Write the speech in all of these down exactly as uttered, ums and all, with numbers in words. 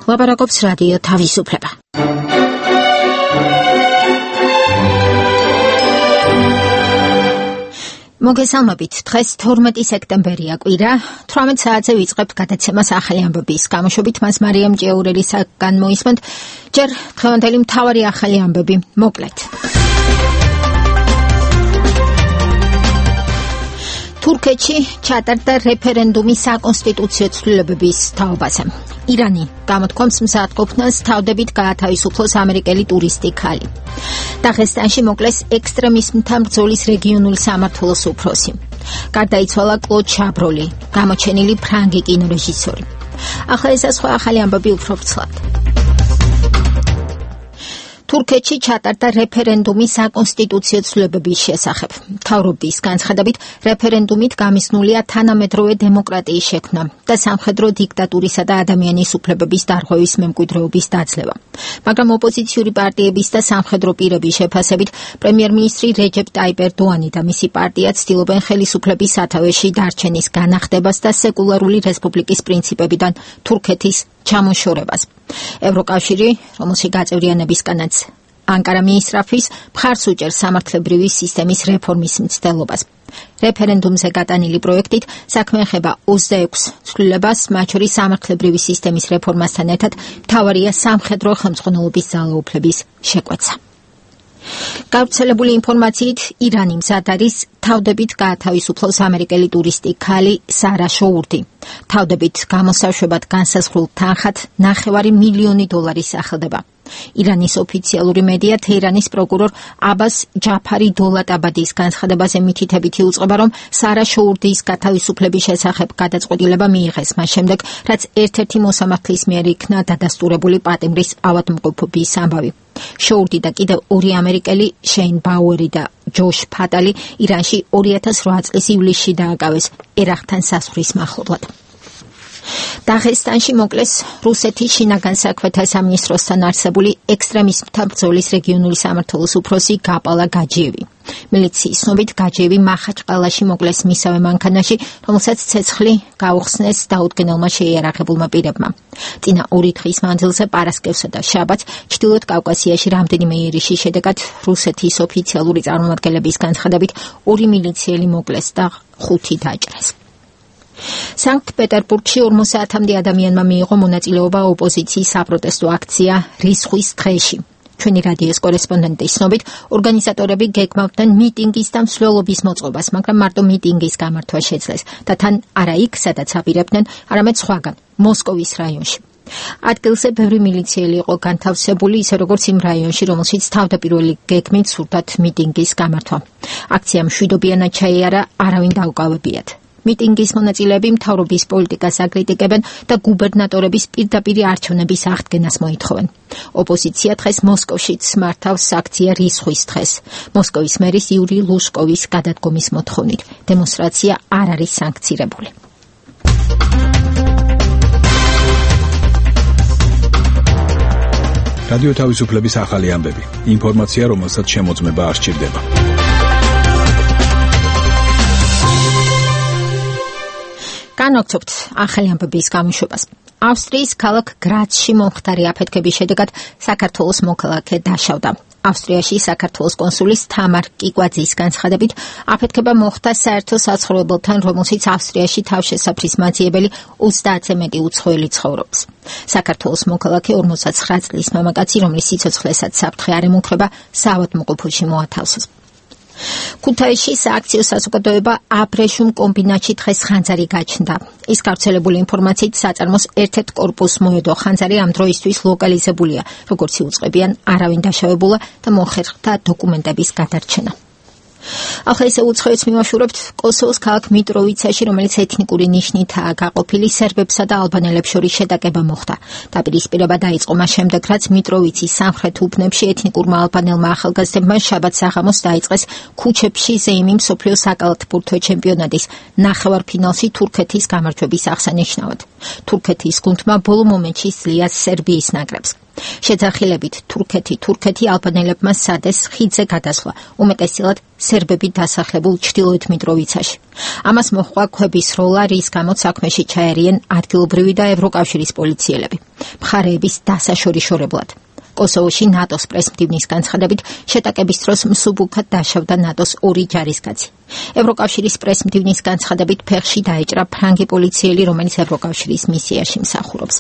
ლაპარაკობს რადიო თავისუფლება. მოგესალმებით, დღეს თორმეტი სექტემბერია კვირა, თვრამეტ საათზე ვიწყებთ გადაცემას ახალი ამბების გამოშვებით, მას მარიამ ჭიაურელისაგან მოისმენთ, ჯერ დღევანდელი მთავარი ახალი ამბები, მოკლედ. თურქეთში ჩატარდა რეფერენდუმი საკონსტიტუციო ცვლილებების თაობაზე. ირანი გამოთქვამს მზადყოფნას თავდებით გაათავისუფლოს ამერიკელი ტურისტი ქალი. დაღესტანში მოკლეს ექსტრემიზმთა ბრძოლის რეგიონული სამმართველოს უფროსი. გარდაიცვალა კლოდ შაბროლი, გამოჩენილი ფრანგი კინორეჟისორი. ახლა ესა სხვა ახალი ამბები უფრო ვრცლად. თურქეთში ჩატარდა რეფერენდუმი საკონსტიტუციო ცვლილებების შესახებ. მთავრობის განცხადებით, რეფერენდუმით გამისნულია თანამედროვე დემოკრატიის შექმნა და სამხედრო დიქტატურისა და ადამიანის უფლებების დარღვევის მემკვიდრეობის დაძლევა. მაგრამ ოპოზიციური პარტიების და სამხედრო პირების შეფასებით, პრემიერ-მინისტრი რეჯეპ ტაიპ ერდოანი და მისი პარტია ცდილობენ ხელისუფლების სათავეში დარჩენის განახდებას და სეკულარული რესპუბლიკის პრინციპებიდან თურქეთის ჩამოშორებას. ევროკავშირი, რომელშიც გაწევრიანებისგანაც ანკარა მიისწრაფვის, მხარს უჭერს სამართლებრივი სისტემის რეფორმის მცდელობას. რეფერენდუმზე გატანილი პროექტით საქმე ეხება ოცდაექვს ცვლილებას, მათ შორის სამართლებრივი სისტემის რეფორმასთან ერთად მთავარია სამხედრო ხელმძღვანელობის ძალაუფლების შეკვეცა. გავრცელებული ინფორმაციით, ირანი მზად არის თავდებით გაათავისუფლოს ამერიკელი ტურისტი ქალი სარა შოურდი. თავდებით გამოსაშვებად განსაზღვრულ თანხად ნახევარი მილიონი დოლარი სახელდება. ირანის ოფიციალური მედია თეირანის პროკურორ აბას ჯაფარი დოლატაბადის განცხადებაზე მითითებითი უწყება, რომ სარა შოურდის გათავისუფლების შესახებ გადაწყვეტილება მიიღეს მას შემდეგ, რაც ერთ-ერთი მოსამართლის მიერ იქნა დადასტურებული პატიმრის ავადმყოფობის ამბავი. შოურდი და კიდევ ორი ამერიკელი, შეინ ბაუერი და ჯოშ ფატალი, ირანში ორი ათას რვა წლის ივლისში დააკავეს ერახთან სასვრის მახლობლად. დაღესტანში მოკლეს რუსეთის შინაგან საქმეთა სამინისტროსთან არსებული ექსტრემიზმთა ბრძოლის რეგიონული სამმართველოს უფროსი გაპალა გაჯიევი. მილიციის ცნობით, გაჯიევი მახაჩყალაში მოკლეს მისავე მანქანაში, რომელსაც ცეცხლი გაუხსნეს დაუდგენელმა შეიარაღებულმა პირებმა. წინა ორი დღის მანძილზე პარასკევსა და შაბათს ჩრდილოეთ კავკასიაში რამდენიმე იერიშის შედეგად რუსეთის ოფიციალური წარმომადგენლების განცხადებით ორი მილიციელი მოკლეს და ხუთი დაჭრეს. სანქტ-პეტერბურგში ორმოც საათამდე ადამიანმა მიიღო მონაწილეობა ოპოზიციის საპროტესტო აქცია რისხვის დღეში. ჩვენი რადიოს კორესპონდენტის ცნობით, ორგანიზატორები გეგმავდნენ მიტინგის და მსვლელობის მოწყობას, მაგრამ მარტო მიტინგის გამართვა შეძლეს და თან არა იქ, სადაც აპირებდნენ, არამედ სხვაგან, მოსკოვის რაიონში. ადგილზე ბევრი მილიციელი იყო განთავსებული, ისე როგორც იმ რაიონში, რომელშიც თავდაპირველი გეგმით სურდათ მიტინგის გამართვა. აქციამ მშვიდობიანად ჩაიარა, არავინ დაუკავებიათ. მიტინგის მონაწილეები მთავრობის პოლიტიკას აკრიტიკებენ და გუბერნატორების პირდაპირ არჩევნების აღდგენას მოითხოვენ. ოპოზიცია დღეს მოსკოვშიც მართავს აქცია რისხვის დღეს. მოსკოვის მერის იური ლუშკოვის გადადგომის მოთხოვნით. დემონსტრაცია არ არის სანქცირებული. რადიო თავისუფლების ახალი ამბები. ინფორმაცია, რომელსაც შემოწმება არ სჭირდება. განვაგრძობთ ახალი ამბების გამოშვებას. ავსტრიის ქალაქ გრაცში მომხდარი აფეთქების შედეგად საქართველოს მოქალაქე დაშავდა. ავსტრიაში საქართველოს კონსულის თამარ კიკვაძის განცხადებით, აფეთქება მოხდა საერთო საცხოვრებელთან, რომელშიც ავსტრიაში თავშესაფრის მაძიებელი ოცდაათზე მეტი უცხოელი ცხოვრობს. საქართველოს მოქალაქე ორმოცდაცხრა წლის მამაკაცი, რომლის სიცოცხლესაც საფრთხე არ ემუქრება, საავადმყოფოში მოათავსეს. ქუთაისში სააქციო საზოგადოება აბრეშუმ კომბინატში დღეს ხანძარი გაჩნდა. ის გავრცელებული ინფორმაციით საწარმოს ერთ-ერთ კორპუსს მოედო ხანძარი ამ დროისთვის ლოკალიზებულია, როგორც იუწყებიან, არავინ დაშავებულა და მოხერხდა დოკუმენტების გადარჩენა. ახლა ისე უცხოეთს მივაშურებთ კოსოვოს ქალაქ მიტროვიცაში, რომელიც ეთნიკური ნიშნითაა გაყოფილი, სერბებსა და ალბანელებს შორის შეტაკება მოხდა. დაპირისპირება დაიწყო მას შემდეგ, რაც მიტროვიცის სამხრეთ უბნებში ეთნიკურმა ალბანელმა ახალგაზრდებმა შაბათს საღამოს დაიწყეს ქუჩებში ზეიმი მსოფლიო საკალათბურთო ჩემპიონატის ნახევარფინალში თურქეთის გამარჯვების აღსანიშნავად. თურქეთის გუნდმა ბოლო მომენტში სძლია სერბიის ნაკრებს. შეძახილებით თურქეთი თურქეთი ალბანელებმა სადეს ხიდზე გადასვლა, უმეტესწილად სერბები დასახლებულ ჩრდილოეთ მიტროვიცაში. ამას მოჰყვა ქვების როლა, რის გამოც საქმეში ჩაერიან ადგილობრივი და ევროკავშირის პოლიციელები, მხარეების დასაშორიშორებლად. კოსოვოში ნატოს პრესმდივნის განცხადებით შეტაკების დროს მსუბუქად დაშავდა ნატოს ორი ჯარისკაცი. ევროკავშირის პრესმდივნის განცხადებით ფეხში დაეჭრა ფრანგი პოლიციელი, რომელიც ევროკავშირის მისიაში მსახურობს.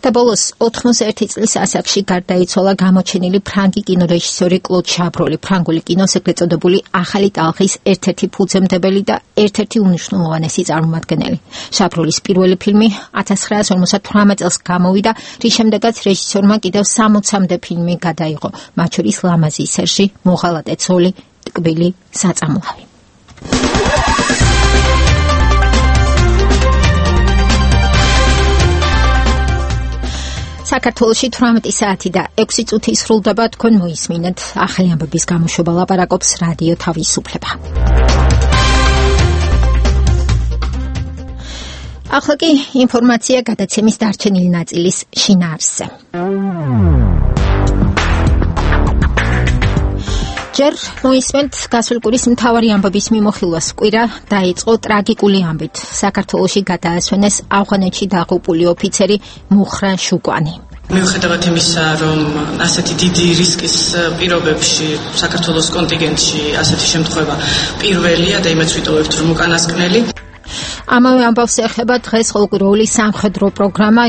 და ბოლოს ოთხმოცდაერთი წლის ასაკში გარდაიცვალა გამოჩენილი ფრანგი კინორეჟისორი კლოდ შაბროლი, ფრანგული კინოს ეგრეთ წოდებული ახალი ტალღის ერთ-ერთი ფუძემდებელი და ერთ-ერთი უმნიშვნელოვანესი წარმომადგენელი. შაბროლის პირველი ფილმი ათას ცხრაასი ორმოცდათვრამეტ წელს გამოვიდა, რის შემდეგაც რეჟისორმა კიდევ სამოცამდე ფილმი გადაიღო, მათ შორის ლამაზი სერჟი, მოღალატე ცოლი, ტკბილი საწამლავი. საქართველოში თვრამეტი საათი და ექვსი წუთი სრულდება, თქვენ მოისმინეთ ახალი ამბების გამოშვება, ლაპარაკობს რადიო თავისუფლება. ახლა კი ინფორმაცია გადაცემის დარჩენილი ნაწილის შინაარსზე. ჯერ მოისმენთ გასული კვირის მთავარი ამბების მიმოხილვას. კვირა დაიწყო ტრაგიკული ამბით. საქართველოში გადაასვენეს ავღანეთში დაღუპული ოფიცერი მუხრან შუკვანი. მიუხედავად იმისა, რომ ასეთი დიდი რისკის პირობებში საქართველოს კონტინგენტში ასეთი შემთხვევა პირველია და იმეც ვიტოვებთ, რომ უკანასკნელი. ამავე ამბავს ეხება დღეს ყოველკვირეული სამხედრო პროგრამა,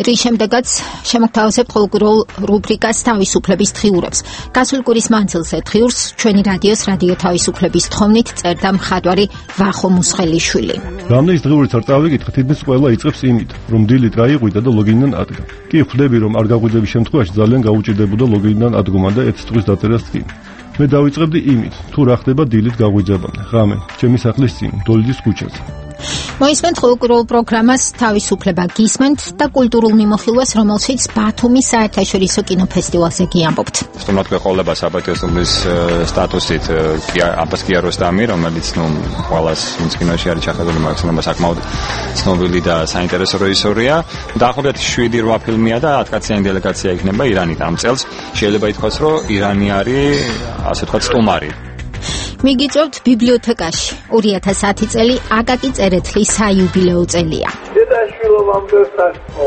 რის შემდეგაც შემოგთავაზებთ ყოველკვირეულ რუბრიკას თავისუფლების დღიურებს. გასული კვირის მანძილზე დღიურს ჩვენი რადიოს რადიო თავისუფლების თხოვნით წერდა მხატვარი ვახო მუსხელიშვილი. რამდენის დღიურიც არ წავიკითხე, თითქმის ყველა იწყებს იმით, რომ დილით გაიყვიდა და ლოგინიდან ადგა. კი ხვდები, რომ არ გაყვიდების შემთხვევაში ძალიან გაუჭირდებოდა ლოგინიდან ადგომა და ერთ დღის დაწერას წინ. მე დავიწყებდი იმით, თუ რა ხდება დილით გაღვიძებამდე, ღამე, ჩემი სახლის წინ, დოლიძის ქუჩაზე. მოისმენთ ყოველკვირეულ პროგრამას თავისუფლება გისმენთ და კულტურულ მიმოხილვას, რომელშიც ბათუმის საერთაშორისო კინოფესტივალზე გიამბობთ. სტუმრად ყოლება საბატიოსობის სტატუსით აბას კიაროსტამი, რომელიც ნუ ყველას ვინც კინოში არის ჩახედული, მაგალითად საკმაოდ ცნობილი და საინტერესო რეჟისორია. დაახლოებით შვიდი რვა ფილმია და ათკაციანი დელეგაცია იქნება ირანით ამ წელს. შეიძლება ითქვას, რომ ირანი არის ასე ვთქვათ სტუმარი. მიგიწევთ ბიბლიოთეკაში. ორი ათას ათი წელი აკაკი წერეთლის საიუბილეო წელია. დედაშვილობამდე სასწო.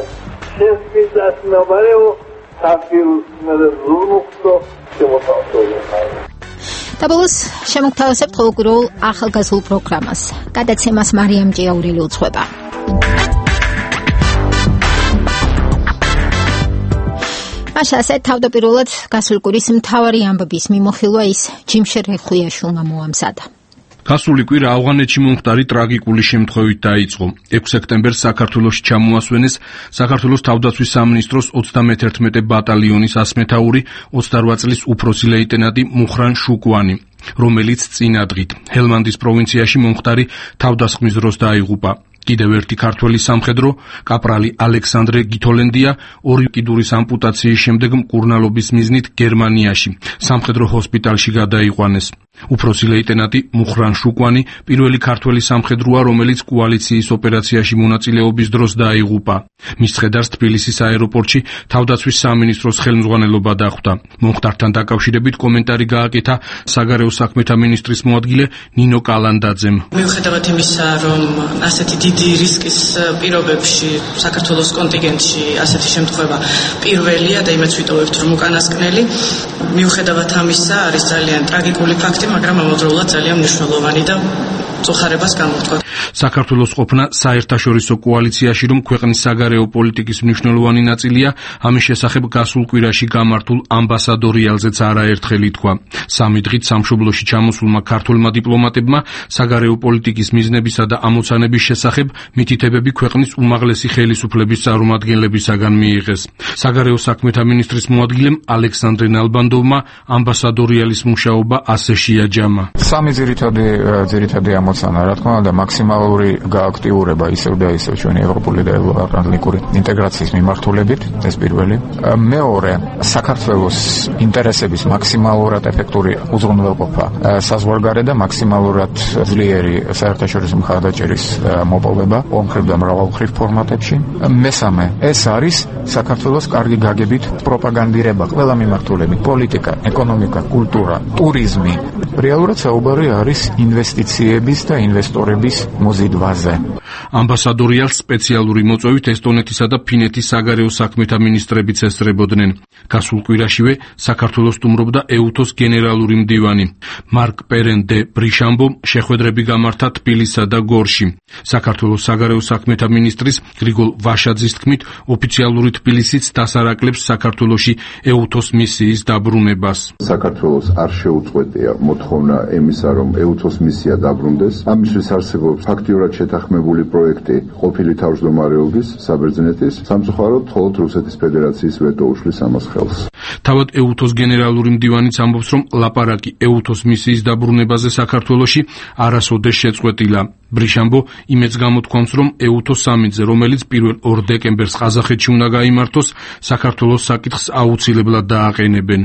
შესმიდას ნაბარეო საფილს მე ზურმუხტო შემოთავაზებია. და ბოლოს შემოგთავაზებთ ყოველკვირეულ ახალგაზრდულ პროგრამას. გადაცემას მარიამ ჭიაურელი უძღვება. ასე თავდაპირველად გასული კვირის მთავარი ამბების მიმოხილვა ის ჯიმშე რეხუიაშვილმა მოამზადა. გასული კვირა ავღანეთში მომხდარი ტრაგიკული შემთხვევით დაიწყო. ექვსი სექტემბერს საქართველოში ჩამოასვენეს საქართველოს თავდაცვის სამინისტროს ოცდამეთერთმეტე ბატალიონის ასმეთაური ოცდარვა წლის უფროსი ლეიტენანტი მუხრან შუკვანი, რომელიც წინა დღით ჰელმანდის პროვინციაში მომხდარი თავდასხმის დროს დაიღუპა. კიდევ ერთი ქართველი სამხედრო კაპრალი ალექსანდრე გითოლენდია ორი კიდურის ამპუტაციის შემდეგ მკურნალობის მიზნით გერმანიაში სამხედრო ჰოსპიტალში გადაიყვანეს. უფროსი ლეიტენანტი მუხრან შუკვანი პირველი ქართველი სამხედროა, რომელიც კოალიციის ოპერაციაში მონაწილეობის დროს დაიღუპა. მის ცხედარს თბილისის აეროპორტში თავდაცვის სამინისტროს ხელმძღვანელობა დახვდა. მომხდართან დაკავშირებით კომენტარი გააკეთა საგარეო საქმეთა მინისტრის მოადგილე ნინო კალანდაძემ. მიუხედავად იმისა, რომ ასეთი დიდი რისკის პირობებში საქართველოს კონტინგენტში ასეთი შემთხვევა პირველია და იმეც ვიტოვებთ, რომ უკანასკნელი. მიუხედავად ამისა, არის ძალიან ტრაგიკული ფაქტი, მაგრამ ამავდროულად ძალიან მნიშვნელოვანი და წუხარებას გამოვთქვა. საქართველოს ყოფნა საერთაშორისო კოალიციაში, რომ ქვეყნის საგარეო პოლიტიკის მნიშვნელოვანი ნაწილია, ამის შესახებ გასულ კვირაში გამართულ ამბასადორიალზეც არაერთხელ ითქვა. სამი დღით სამშობლოში ჩამოსულმა ქართველმა დიპლომატებმა საგარეო პოლიტიკის მიზნებისა და ამოცანების შესახებ მითითებები ქვეყნის უმაღლესი ხელისუფლების წარმომადგენლებისაგან მიიღეს. საგარეო საქმეთა მინისტრის მოადგილემ ალექსანდრე ნალბანდოვმა ამბასადორიალის მუშაობა ასე შეაჯამა. სამი ძირითადი ძირითადი გამოცანა, რა თქმა უნდა, მაქსიმალური გააქტიურება ისევ და ისევ ჩვენი ევროპული და ევროატლანტიკური ინტეგრაციის მიმართულებით, ეს პირველი. მეორე, საქართველოს ინტერესების მაქსიმალურად ეფექტური უზრუნველყოფა საზღვარგარეთ და მაქსიმალურად ძლიერი საერთაშორისო მხარდაჭერის მოპოვება ომხრივ და მრავალმხრივ ფორმატებში. მესამე, ეს არის საქართველოს კარგი გაგებით პროპაგანდირება ყველა მიმართულებით, პოლიტიკა, ეკონომიკა, კულტურა, ტურიზმი. რეალურად საუბარი არის ინვესტიციების და ინვესტორების მოზიდვაზე. ამბასადორიალს სპეციალური მოწვევით ესტონეთისა და ფინეთის საგარეო საქმეთა მინისტრებიც ესწრებოდნენ. გასულ კვირაშივე საქართველოს სტუმრობდა ეუთოს გენერალური მდივანი. მარკ პერენ დე ბრიშამბო შეხვედრები გამართა თბილისსა და გორში. საქართველოს საგარეო საქმეთა მინისტრის გრიგოლ ვაშაძის თქმით, ოფიციალური თბილისიც დასარაკლებს საქართველოში ეუთოს მისიის დაბრუნებას. საქართველოს არ შეუწყვეტია მოთხოვნა ემისა, რომ ეუთოს მისია დაბრუნდეს. ამისთვის არსებობს ფაქტიურად შეთანხმებული პროექტი ყოფილი თავმჯდომარეობის, საბერძნეთის, სამწუხაროდ მხოლოდ რუსეთის ფედერაციის ვეტო უშლის ამას ხელს. თავად ეუთოს გენერალური მდივანიც ამბობს, რომ ლაპარაკი ეუთოს მისიის დაბრუნებაზე საქართველოში არასოდეს შეწყვეტილა. ბრიშამბო იმედს გამოთქვამს, რომ ეუთოს სამიტზე, რომელიც პირველ ორ დეკემბერს ყაზახეთში უნდა გაიმართოს, საქართველოს საკითხს აუცილებლად დააყენებენ.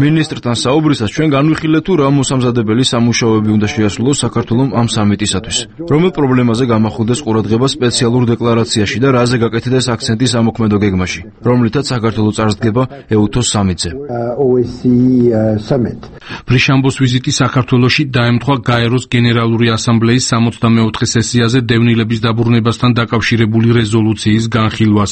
მინისტრთან საუბრისას ჩვენ განვიხილეთ, თუ რა მოსამზადებელი სამუშაოები უნდა შეასრულოს საქართველოს ამ სამიტისათვის. რომელ პრობლემაზე გამახვილდეს ყურადღება სპეციალურ დეკლარაციაში და რაზე გაკეთდეს აქცენტი სამოქმედო გეგმაში, რომლითაც საქართველოს წარსდგება ეუთოს სამიტზე. ბრიშამბოს ვიზიტი საქართველოში დაემთხვა გაეროს გენერალური ასამბლეის სამოცდამეოთხე სესიაზე დევნილების დაბრუნებასთან დაკავშირებული რეზოლუციის განხილვას.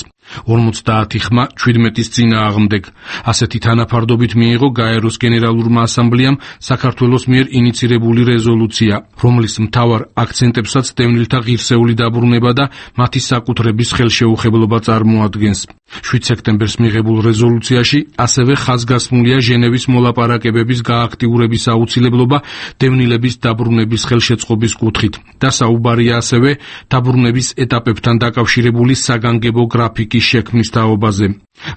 ორმოცდაათი ხმა ჩვიდმეტის წინააღმდეგ. ასეთი თანაფარდობით მიიღო გაეროს გენერალურმა ასამბლეამ საქართველოს მიერ ინიცირებული რეზოლუცია, რომლის მთავარ აქცენტებსაც დევნილთა ღირსეული დაბრუნება და მათი საკუთრების ხელშეუხებლობა წარმოადგენს. შვიდ სექტემბერს მიღებულ რეზოლუციაში ასევე ხაზგასმულია ჟენევის მოლაპარაკებების გააქტიურების აუცილებლობა დევნილების დაბრუნების ხელშეწყობის კუთხით და საუბარია ასევე დაბრუნების ეტაპებთან დაკავშირებული საგანგებო გრაფიკის შექმნის თაობაზე.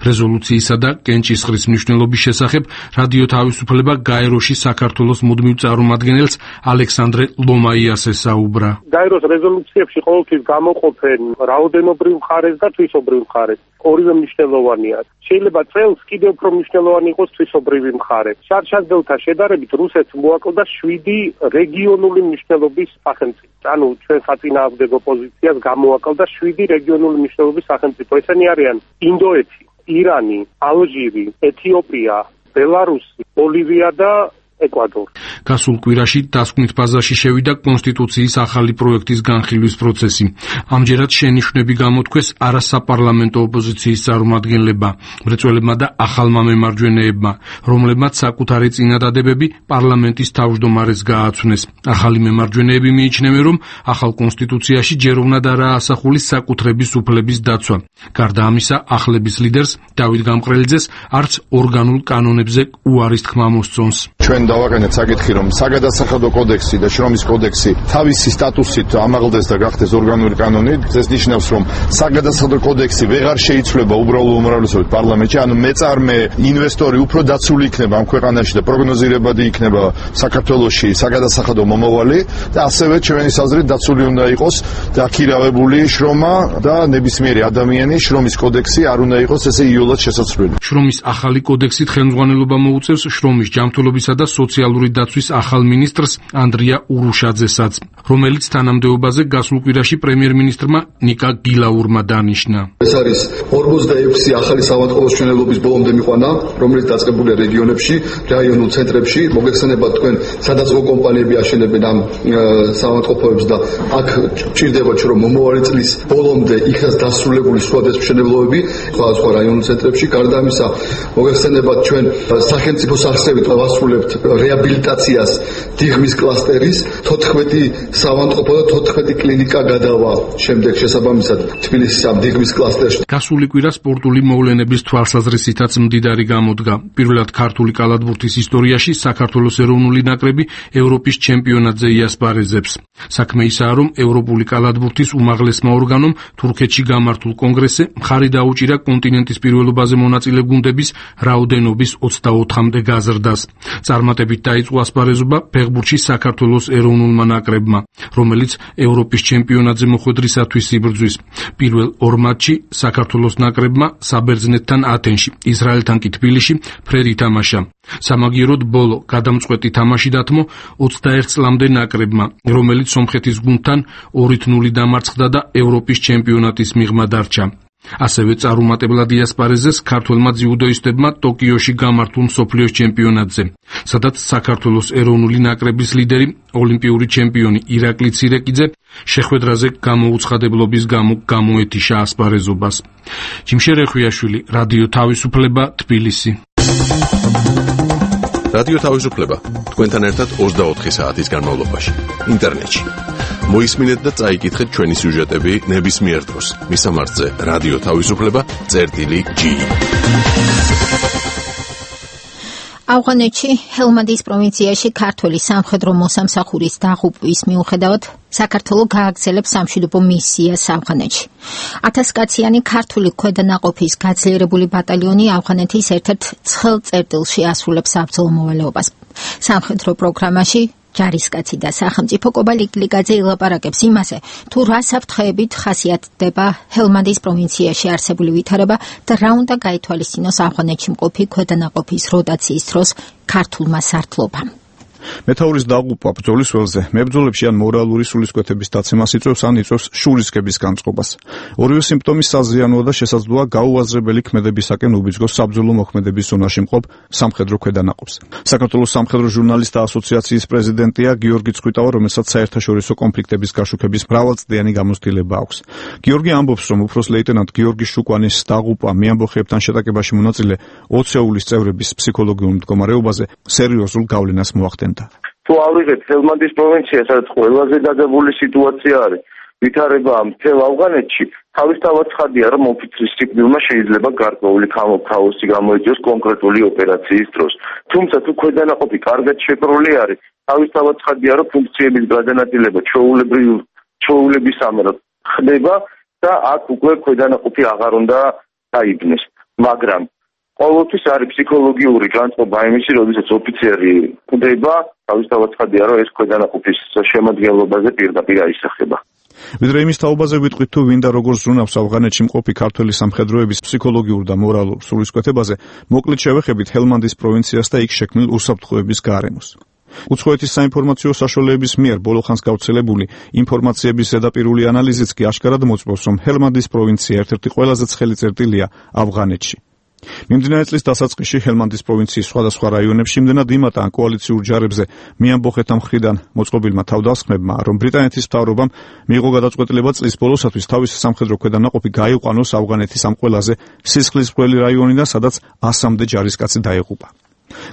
რეზოლუციისა და კენჭისყრის მნიშვნელობის შესახებ რადიო თავისუფლება გაეროში საქართველოს მუდმივ წარმომადგენელს ალექსანდრე ლომაიას ესაუბრა. გაეროს რეზოლუციებში ყოველთვის გამოყოფენ რაოდენობრივ მხარეს და თვისობრივ მხარეს. ორივე მნიშვნელოვანია. შეიძლება წელს კიდევ უფრო მნიშვნელოვანი იყოს თვისობრივი მხარე. შარშაზდელთა შედარებით რუსეთს მოაკლდა შვიდი რეგიონული მნიშვნელობის სახელმწიფო. ანუ ჩვენ საწინააღმდეგო პოზიციას გამოაკლდა შვიდი რეგიონული მნიშვნელობის სახელმწიფო. ესენი არიან ინდოეთი, ირანი, ალჟირი, ეთიოპია, ბელარუსი, ბოლივია და ეკვადორი. გასულ კვირაში დასკვნით ფაზაში შევიდა კონსტიტუციის ახალი პროექტის განხილვის პროცესი. ამჯერად შენიშვნები გამოთქვეს არასაპარლამენტო ოპოზიციის წარმომადგენლებმა, მრეწველებმა და ახალმა მემარჯვენეებმა, რომლებმაც საკუთარი წინადადებები პარლამენტის თავმჯდომარეს გააცნეს. ახალი მემარჯვენეები მიიჩნევენ, რომ ახალ კონსტიტუციაში ჯერ უნდა დაასახულოს საკუთრების უფლების დაცვა. გარდა ამისა, ახლების ლიდერს დავით გამყრელიძეს არც ორგანულ კანონებზე უარის თქმა მოსწონს. ჩვენ დავაკანეთ საკითხი, რომ საგადასახადო კოდექსი და შრომის კოდექსი თავისი სტატუსით ამაღლდეს და გახდეს ორგანული კანონი. ეს ნიშნავს, რომ საგადასახადო კოდექსი ვეღარ შეიცვლება უბრალო უმრავლესობით პარლამენტში, ანუ მეწარმე ინვესტორი უფრო დაცული იქნება ამ ქვეყანაში და პროგნოზირებადი იქნება საქართველოში საგადასახადო მომავალი და ასევე ჩვენი საზრით დაცული უნდა იყოს და აქირავებული შრომა და ნებისმიერი ადამიანი შრომის კოდექსი არ უნდა იყოს ესე იოლად შესაძლებელი. შრომის ახალი კოდექსით ხელმძღვანელობა მოუწევს შრომის ჯანმრთელობისა და სოციალური დაცვის ახალ მინისტრს ანდრია ურუშაძესაც, რომელიც თანამდებობაზე გასულ კვირაში პრემიერ-მინისტრმა ნიკა გილაურმა დანიშნა. ეს არის ორმოცდაექვსი ახალი საავადმყოფოს მშენებლობის ბოლომდე მიყვანა, რომელიც დაწყებულია რეგიონებში, რაიონულ ცენტრებში. მოგეხსენებათ თქვენ, სადაც კომპანიები აშენებენ ამ საავადმყოფოებს და აქ ჭირდებათ, რომ მომავალი წლის ბოლომდე იქაც დასრულებული სხვადასხვა მშენებლობები სხვადასხვა რაიონულ ცენტრებში. გარდა ამისა, მოგეხსენებათ ჩვენ სახელმწიფოს არსებით ვასრულებთ რეაბილიტაციას დიღმის კლასტერის თოთხმეტი საავადმყოფო და თოთხმეტი კლინიკა გადავა შემდეგ შესაბამისად თბილისის ამ დიღმის კლასტერში. გასული კვირა სპორტული მოვლენების თვალსაზრისითაც მდიდარი გამოდგა. პირველად ქართული კალათბურთის ისტორიაში საქართველოს ეროვნული ნაკრები ევროპის ჩემპიონატზე იასპარეზებს. საქმე ისაა, რომ ევროპული კალათბურთის უმაღლესმა ორგანომ თურქეთში გამართულ კონგრესზე მხარი დაუჭირა კონტინენტის პირველობაზე მონაწილე გუნდების რაოდენობის ოცდაოთხამდე გაზრდას. წარმატებით დაიწყო ასპარეზობა ფეხბურთში საქართველოს ეროვნულმა ნაკრებმა, რომელიც ევროპის ჩემპიონატზე მოხვედრისათვის იბრძვის. პირველ ორ მატჩში საქართველოს ნაკრებმა საბერძნეთთან ათენში, ისრაელთან კი თბილისში ფრედ ითამაშა. სამაგიეროდ ბოლო გადამწყვეტი თამაში დათმო ოცდაერთ წლამდე ნაკრებმა, რომელიც სომხეთის გუნდთან ორ ნული დამარცხდა და ევროპის ჩემპიონატის მიღმა დარჩა. ასევე წარუმატებლად იასპარეზეს ქართველმა ძიუდოისტებმა ტოკიოში გამართულ მსოფლიოს ჩემპიონატზე, სადაც საქართველოს ეროვნული ნაკრების ლიდერი, ოლიმპიური ჩემპიონი ირაკლი ცირეკიძე შეხვედრაზე გამოუცხადებლობის გამო გამოეთიშა ასპარეზობას. ჯიმშერ ეხვიაშვილი, რადიო თავისუფლება, თბილისი. რადიო თავისუფლება თქვენთან ერთად ოცდაოთხი საათის განმავლობაში ინტერნეტში. მოისმინეთ და წაიკითხეთ ჩვენი სიუჟეტები ნებისმიერ დროს. მისამართზე რადიო თავისუფლება წერტილი ჯი. ავღანეთში ჰელმანდის პროვინციაში ქართული სამხედრო მოსამსახურის დაღუპვის მიუხედავად საქართველო გააგრძელებს სამშვიდობო მისიას ავღანეთში. ათასკაციანი ქართული ქვედანაყოფის გაძლიერებული ბატალიონი ავღანეთის ერთ-ერთ ცხელ წერტილში ასრულებს საბრძოლო მოვალეობას. სამხედრო პროგრამაში ჯარისკაცი და სახელმწიფო კობალიკ ლიგაძე ილაპარაკებს იმაზე, თუ რა საფრთხეებით ხასიათდება ჰელმანდის პროვინციაში არსებული ვითარება და რა უნდა გაითვალისწინოს ავღანეთში მყოფი ქვედანაყოფის როტაციის დროს ქართულმა სარდლობამ. მეთაურის დაღუპვა ბრძოლის ველზე მებრძოლებში ან მორალური სულისკვეთების დაცემას იწვევს ან იწვევს შურისკების განწყობას. ორივე სიმპტომი საზიანოა და შესაძლოა გაუაზრებელი ქმედებისაკენ უბიძგოს საბრძოლო მოქმედების ზონაში მყოფ სამხედრო ქვედანაყოფს. საქართველოს სამხედრო ჟურნალისტთა ასოციაციის პრეზიდენტია გიორგი წხვიტავა, რომელსაც საერთაშორისო კონფლიქტების გაშუქების მრავალწლიანი გამოცდილება აქვს. გიორგი ამბობს, რომ უფროს ლეიტენანტ გიორგი შუკვანის დაღუპვა მეამბოხეებთან შეტაკებაში მონაწილე ოცეულის წევრების ფსიქოლოგიურ მდგომარეობაზე სერიოზულ გავლენას მოახდენდა. თუ ავიღეთ ჰელმანდის პროვინცია, სადაც ყველაზე დაგებული სიტუაცია არის, ვითარება მთელ ავღანეთში, თავისთავად ცხადია, რომ ოფიცრის სიკვდილმა შეიძლება გარკვეული ქაოსი გამოიწვიოს კონკრეტული ოპერაციის დროს. თუმცა თუ ქვედანაყოფი კარგად შეკრული არის, თავისთავად ცხადია, რომ ფუნქციების გადანაწილება ჩვეულებისამებრ ხდება და აქ უკვე ქვედანაყოფი აღარ უნდა დაიბნეს. მაგრამ ყოველთვის არის ფსიქოლოგიური განწყობა იმისი, როდესაც ოფიცერი კვდება, თავისთავად ცხადია, რომ ეს ქვედანაყოფის შემადგენლობაზე პირდაპირ აისახება. ვიდრე იმის თაობაზე ვიტყვით, თუ ვინ და როგორ ზრუნავს ავღანეთში მყოფი ქართველი სამხედროების ფსიქოლოგიურ და მორალურ სულისკვეთებაზე, მოკლედ შევეხებით ჰელმანდის პროვინციას და იქ შექმნილ უსაფრთხოების გარემოს. უცხოეთის საინფორმაციო საშუალებების მიერ ბოლოხანს გავრცელებული ინფორმაციების ზედაპირული ანალიზიც კი აშკარად მოწმობს, რომ ჰელმანდის პროვინცია ერთ-ერთი ყველაზე ცხელი წერტილია ავღანეთში. მიმდინარე წლის დასაწყისში ჰელმანდის პროვინციის სხვადასხვა რაიონებში იმდენად იმატა კოალიციურ ჯარებზე მიამბოხეთა მხრიდან მოწყობილმა თავდასხმებმა, რომ ბრიტანეთის მთავრობამ მიიღო გადაწყვეტილება წლის ბოლოსათვის თავისი სამხედრო ქვედანაყოფი გაიყვანოს ავღანეთის ამ ყველაზე სისხლისმღვრელი რაიონიდან, სადაც ასამდე ჯარისკაცი დაეღუპა.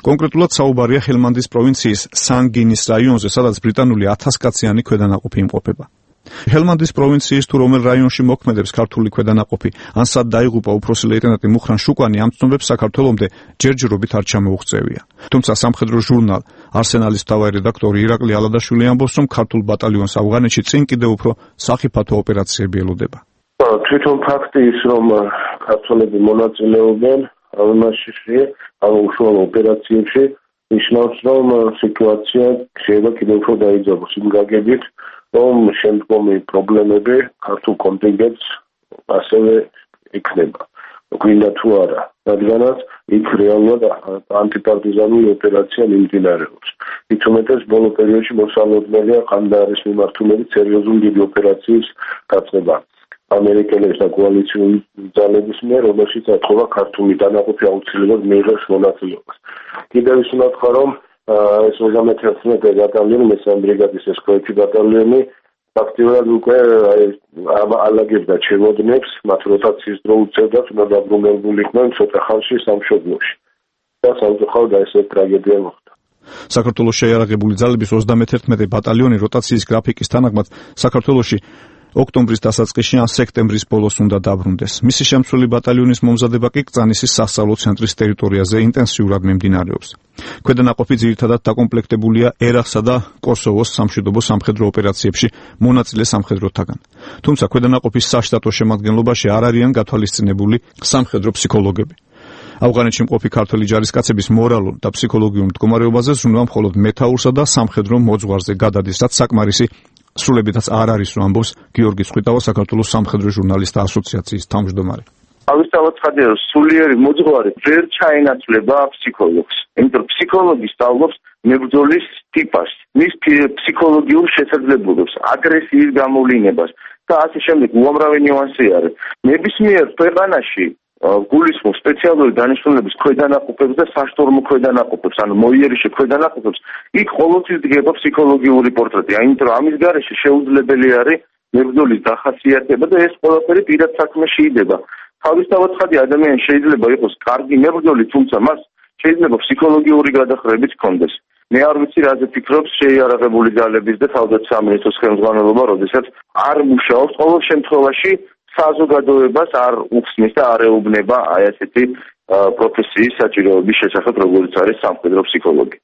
კონკრეტულად საუბარია ჰელმანდის პროვინციის სანგინის რაიონზე, სადაც ბრიტანული ათასკაციანი ქვედანაყოფი იმყოფება. ჰელმანდის პროვინციის თუ რომელ რაიონში მოქმედებს ქართული ქვედანაყოფი, ან სად დაიღუპა უფროსი ლეიტენანტი მუხრან შუკვანი, ამ ცნობებს საქართველომდე ჯერჯერობით არ ჩამოუღწევია. თუმცა სამხედრო ჟურნალ არსენალის მთავარი რედაქტორი ირაკლი ალადაშვილი ამბობს, რომ ქართულ ბატალიონს ავღანეთში წინ კიდევ უფრო სახიფათო ოპერაციები ელოდება. თვითონ ფაქტი ის, რომ ქართველები მონაწილეობენ ავღანეთში ამ უშუალო ოპერაციებში, ნიშნავს, რომ სიტუაცია შეიძლება კიდევ უფრო დაიძაბოს იმ გაგებით, რომ შემდგომი პრობლემები ქართულ კონტინგენტს ასევე იქნება. გვინდა თუ არა, რადგანაც იქ რეალურად ანტიპარტიზანული ოპერაცია მიმდინარეობს. მით უმეტეს ბოლო პერიოდში მოსალოდნელია ყანდარის მიმართულებით სერიოზული დიდი ოპერაციის დაწყება ამერიკელების და კოალიციური ძალების მიერ, რომელშიც ეთხოვა ქართული დანაყოფი აუცილებლად მიიღოს მონაწილეობას. კიდევ ის უნდა თქვა, რომ ეს ოცდამეთერთმეტე ბატალიონი, მესამე ბრიგადის ეს ქვეითი ბატალიონი ფაქტიურად უკვე ალაგებდა ჩერვოდნებს, მათ როტაციის დრო უწევდათ, უნდა დაბრუნებულიყვნენ ცოტა ხანში სამშობლოში. და სამწუხაროდ ეს ტრაგედია მოხდა. საქართველოს შეიარაღებული ძალების ოცდამეთერთმეტე ბატალიონი როტაციის გრაფიკის თანახმად საქართველოში ოქტომბრის დასაწყისში ან სექტემბრის ბოლოს უნდა დაბრუნდეს. მისი შემცველი ბატალიონის მომზადება კი კწანისის სასწავლო ცენტრის ტერიტორიაზე ინტენსიურად მიმდინარეობს. ქვედანაყოფი ძირითადად დაკომპლექტებულია ერახსა და კოსოვოს სამშვიდობო სამხედრო ოპერაციებში მონაწილე სამხედროთაგან. თუმცა ქვედანაყოფის საშტატო შემადგენლობაში არ არიან გათვალისწინებული სამხედრო ფსიქოლოგები. ავღანეთში მყოფი ქართველი ჯარისკაცების მორალურ და ფსიქოლოგიურ მდგომარეობაზე ზრუნვა მხოლოდ მეთაურსა და სამხედრო მოძღვარზე გადადის, რაც საკმარისი სრულებითაც არ არის, რომ ამბობს გიორგი ცხვითავა, საქართველოს სამხედრო ჟურნალისტთა ასოციაციის თავმჯდომარე. ავისთავად ცხადია, რომ სულიერი მოძღვარი ვერ ჩაენაცვლება ფსიქოლოგს. იმიტომ ფსიქოლოგი სწავლობს მებრძოლის ტიპას, მის ფსიქოლოგიურ შესაძლებლობებს, აგრესიის გამოვლინებას და ასე შემდეგ. უამრავი ნიუანსი არის. ნებისმიერ ქვეყანაში გულისხმობს სპეციალური დანიშნულების ქვედანაყოფებს და საშტორმო ქვედანაყოფებს, ანუ მოიერიშე ქვედანაყოფებს, იქ ყოველთვის დგება ფსიქოლოგიური პორტრეტი. აინტერესებს, რომ ამის გარეშე შეუძლებელი არის მებრძოლის დახასიათება და ეს ყველაფერი პირად საქმეში იდება. თავისთავად ცხადია, ადამიანი შეიძლება იყოს კარგი მებრძოლი, თუმცა მას შეიძლება ფსიქოლოგიური გადახრებიც ჰქონდეს. მე არ ვიცი, რაზე ფიქრობს შეიარაღებული ძალების და თავდაცვის სამინისტროს ხელმძღვანელობა, როდესაც არ მუშაობს. ყოველ შემთხვევაში საზოგადოებას არ უხსნის და არ ეუბნება აი ასეთი პროფესიის საჭიროების შესახებ, როგორც არის სამხედრო ფსიქოლოგი.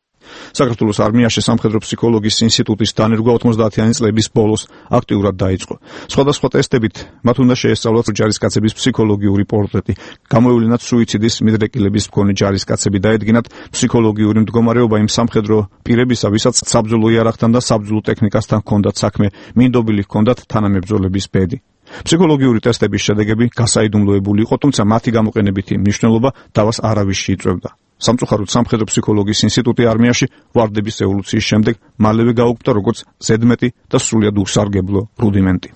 საქართველოს არმიაში სამხედრო ფსიქოლოგიის ინსტიტუტის დანერგვა ოცდაათიანი წლების ბოლოს აქტიურად დაიწყო. სხვადასხვა ტესტებით მათ უნდა შეესწავლათ ჯარისკაცების ფსიქოლოგიური პორტრეტი, გამოევლინათ სუიციდის მიდრეკილების მქონე ჯარისკაცები, დაედგინათ ფსიქოლოგიური მდგომარეობა იმ სამხედრო პირებისა, ვისაც საბრძოლო იარაღთან და საბრძოლო ტექნიკასთან ჰქონდათ საქმე, მინდობილი ჰქონდათ თანამებრძოლების ბედი. ფსიქოლოგიური ტესტების შედეგები გასაიდუმლოებული იყო, თუმცა მათი გამოყენებითი მნიშვნელობა დავას არავისში იწვევდა. სამწუხაროდ სამხედრო ფსიქოლოგიის ინსტიტუტი არმიაში ვარდების ევოლუციის შემდეგ მალევე გაუქმდა როგორც ზედმეტი და სრულიად უსარგებლო რუდიმენტი.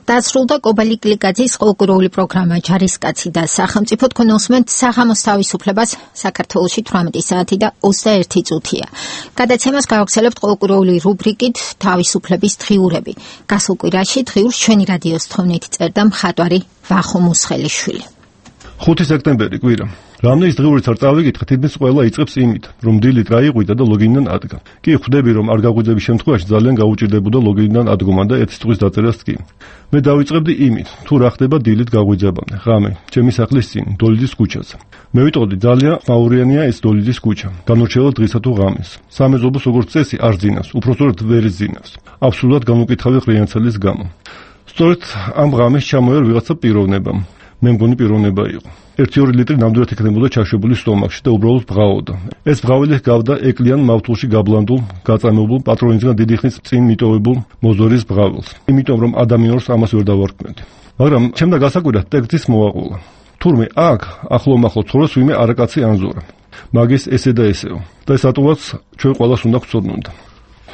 დასრულდა კობალი კლიკაძის ყოლკურული პროგრამა ჯარისკაცი და სახელმწიფო. თქვენ უსმენთ საღამოს თავისუფლებას. საქართველოში თვრამეტი საათი და ოცდაერთი წუთია. გადაცემას გავაგრძელებთ ყოლკურული რუბრიკით თავისუფლების დღიურები. გასულ კვირაში დღიურს ჩვენი რადიოს თხოვნით წერდა მხატვარი ვახო მუსხელიშვილი. ხუთი სექტემბერი კვირა. რამდენი დღიურიც არ წავიკითხე, თითქმის ყველა იწყებს იმით, რომ დილით რაიყვიდა და ლოგინიდან ადგა. კი ხვდები, რომ არ გაგვიძების შემთხვევაში ძალიან გაუჭირდებოდა ლოგინიდან ადგომა და ერთი წუთის დაწერას კი. მე დავიწყებდი იმით, თუ რა ხდება დილით გაგვიძებამდე. ღამე, ჩემი სახლის წინ, დოლიძის ქუჩაზე. მე ვიტყოდი, ძალიან მაურიანია ეს დოლიძის ქუჩა. განურჩევლად დღისა თუ ღამეს. სამეზობლოს როგორც წესი არ ზინავს, უпростоრად ვერ ზინავს. აბსოლუტურად გამოკითხავი ხრიანცელის გამო. სწორედ ამ ღამეს ჩამოერ ვიღაცა პიროვნებამ. მე მგონი პიროვნება იყო. ერთი ორი ლიტრი ნამდვილად იქნებოდა ჩაშვებული სტომაქში და უბრალოდ ბღაოდა. ეს ბღავილი ჰგავდა ეკლიან მავთულში გაბლანდულ, გაწამებულ, პატრონისგან დიდი ხნის წინ მიტოვებულ მოზორის ბღავილს. იმიტომ რომ ადამიანს ამას ვერ დავარქმევდი. მაგრამ ჩემდა გასაკვირად ტექსტის მოაყოლა. თურმე აქ ახლომახლო ცხოვრობს ვინმე არაკაცი ანზორა. მაგის ესე და ესეო. და ეს ატოვაც ჩვენ ყველას უნდა გვწოდნოდა.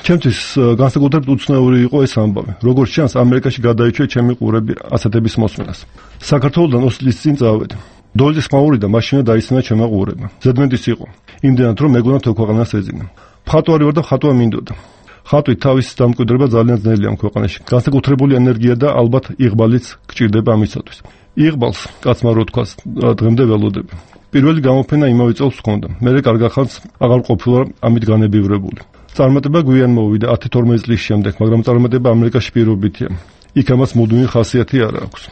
ჩემთვის განსაკუთრებით უცნაური იყო ეს ამბავი. როგორც ჩანს, ამერიკაში გადაიჭრე ჩემი ყურები ასეთების მოსმენას. საქართველოსთან ოცი წლის წინ წავედი. დოლიძის მაურიდან მაშინა დაისმენა ჩემმა ყურებმა. ზედმეტის იყო. იმდენად რომ მეგონა თო ქვეყანას ეძინა. მხატვარი ვარ და მხატვა მინდოდა. ხატვით თავის დამკვიდრება ძალიან ძნელია ამ ქვეყანაში. განსაკუთრებული ენერგია და ალბათ იღბალიც გჭირდება ამისათვის. იღბალს კაცმა რო თქვას, დღემდე ველოდები. პირველი გამოფენა იმავე წელს ჰქონდა. მე კარგ ახალს აღარ ყოფილა ამით განებივრებული. წარმატება გვიან მოვიდა ათი თორმეტი წლის შემდეგ, მაგრამ წარმატება ამერიკაში პირობითია. იქ ამას მუდმივი ხასიათი არ აქვს.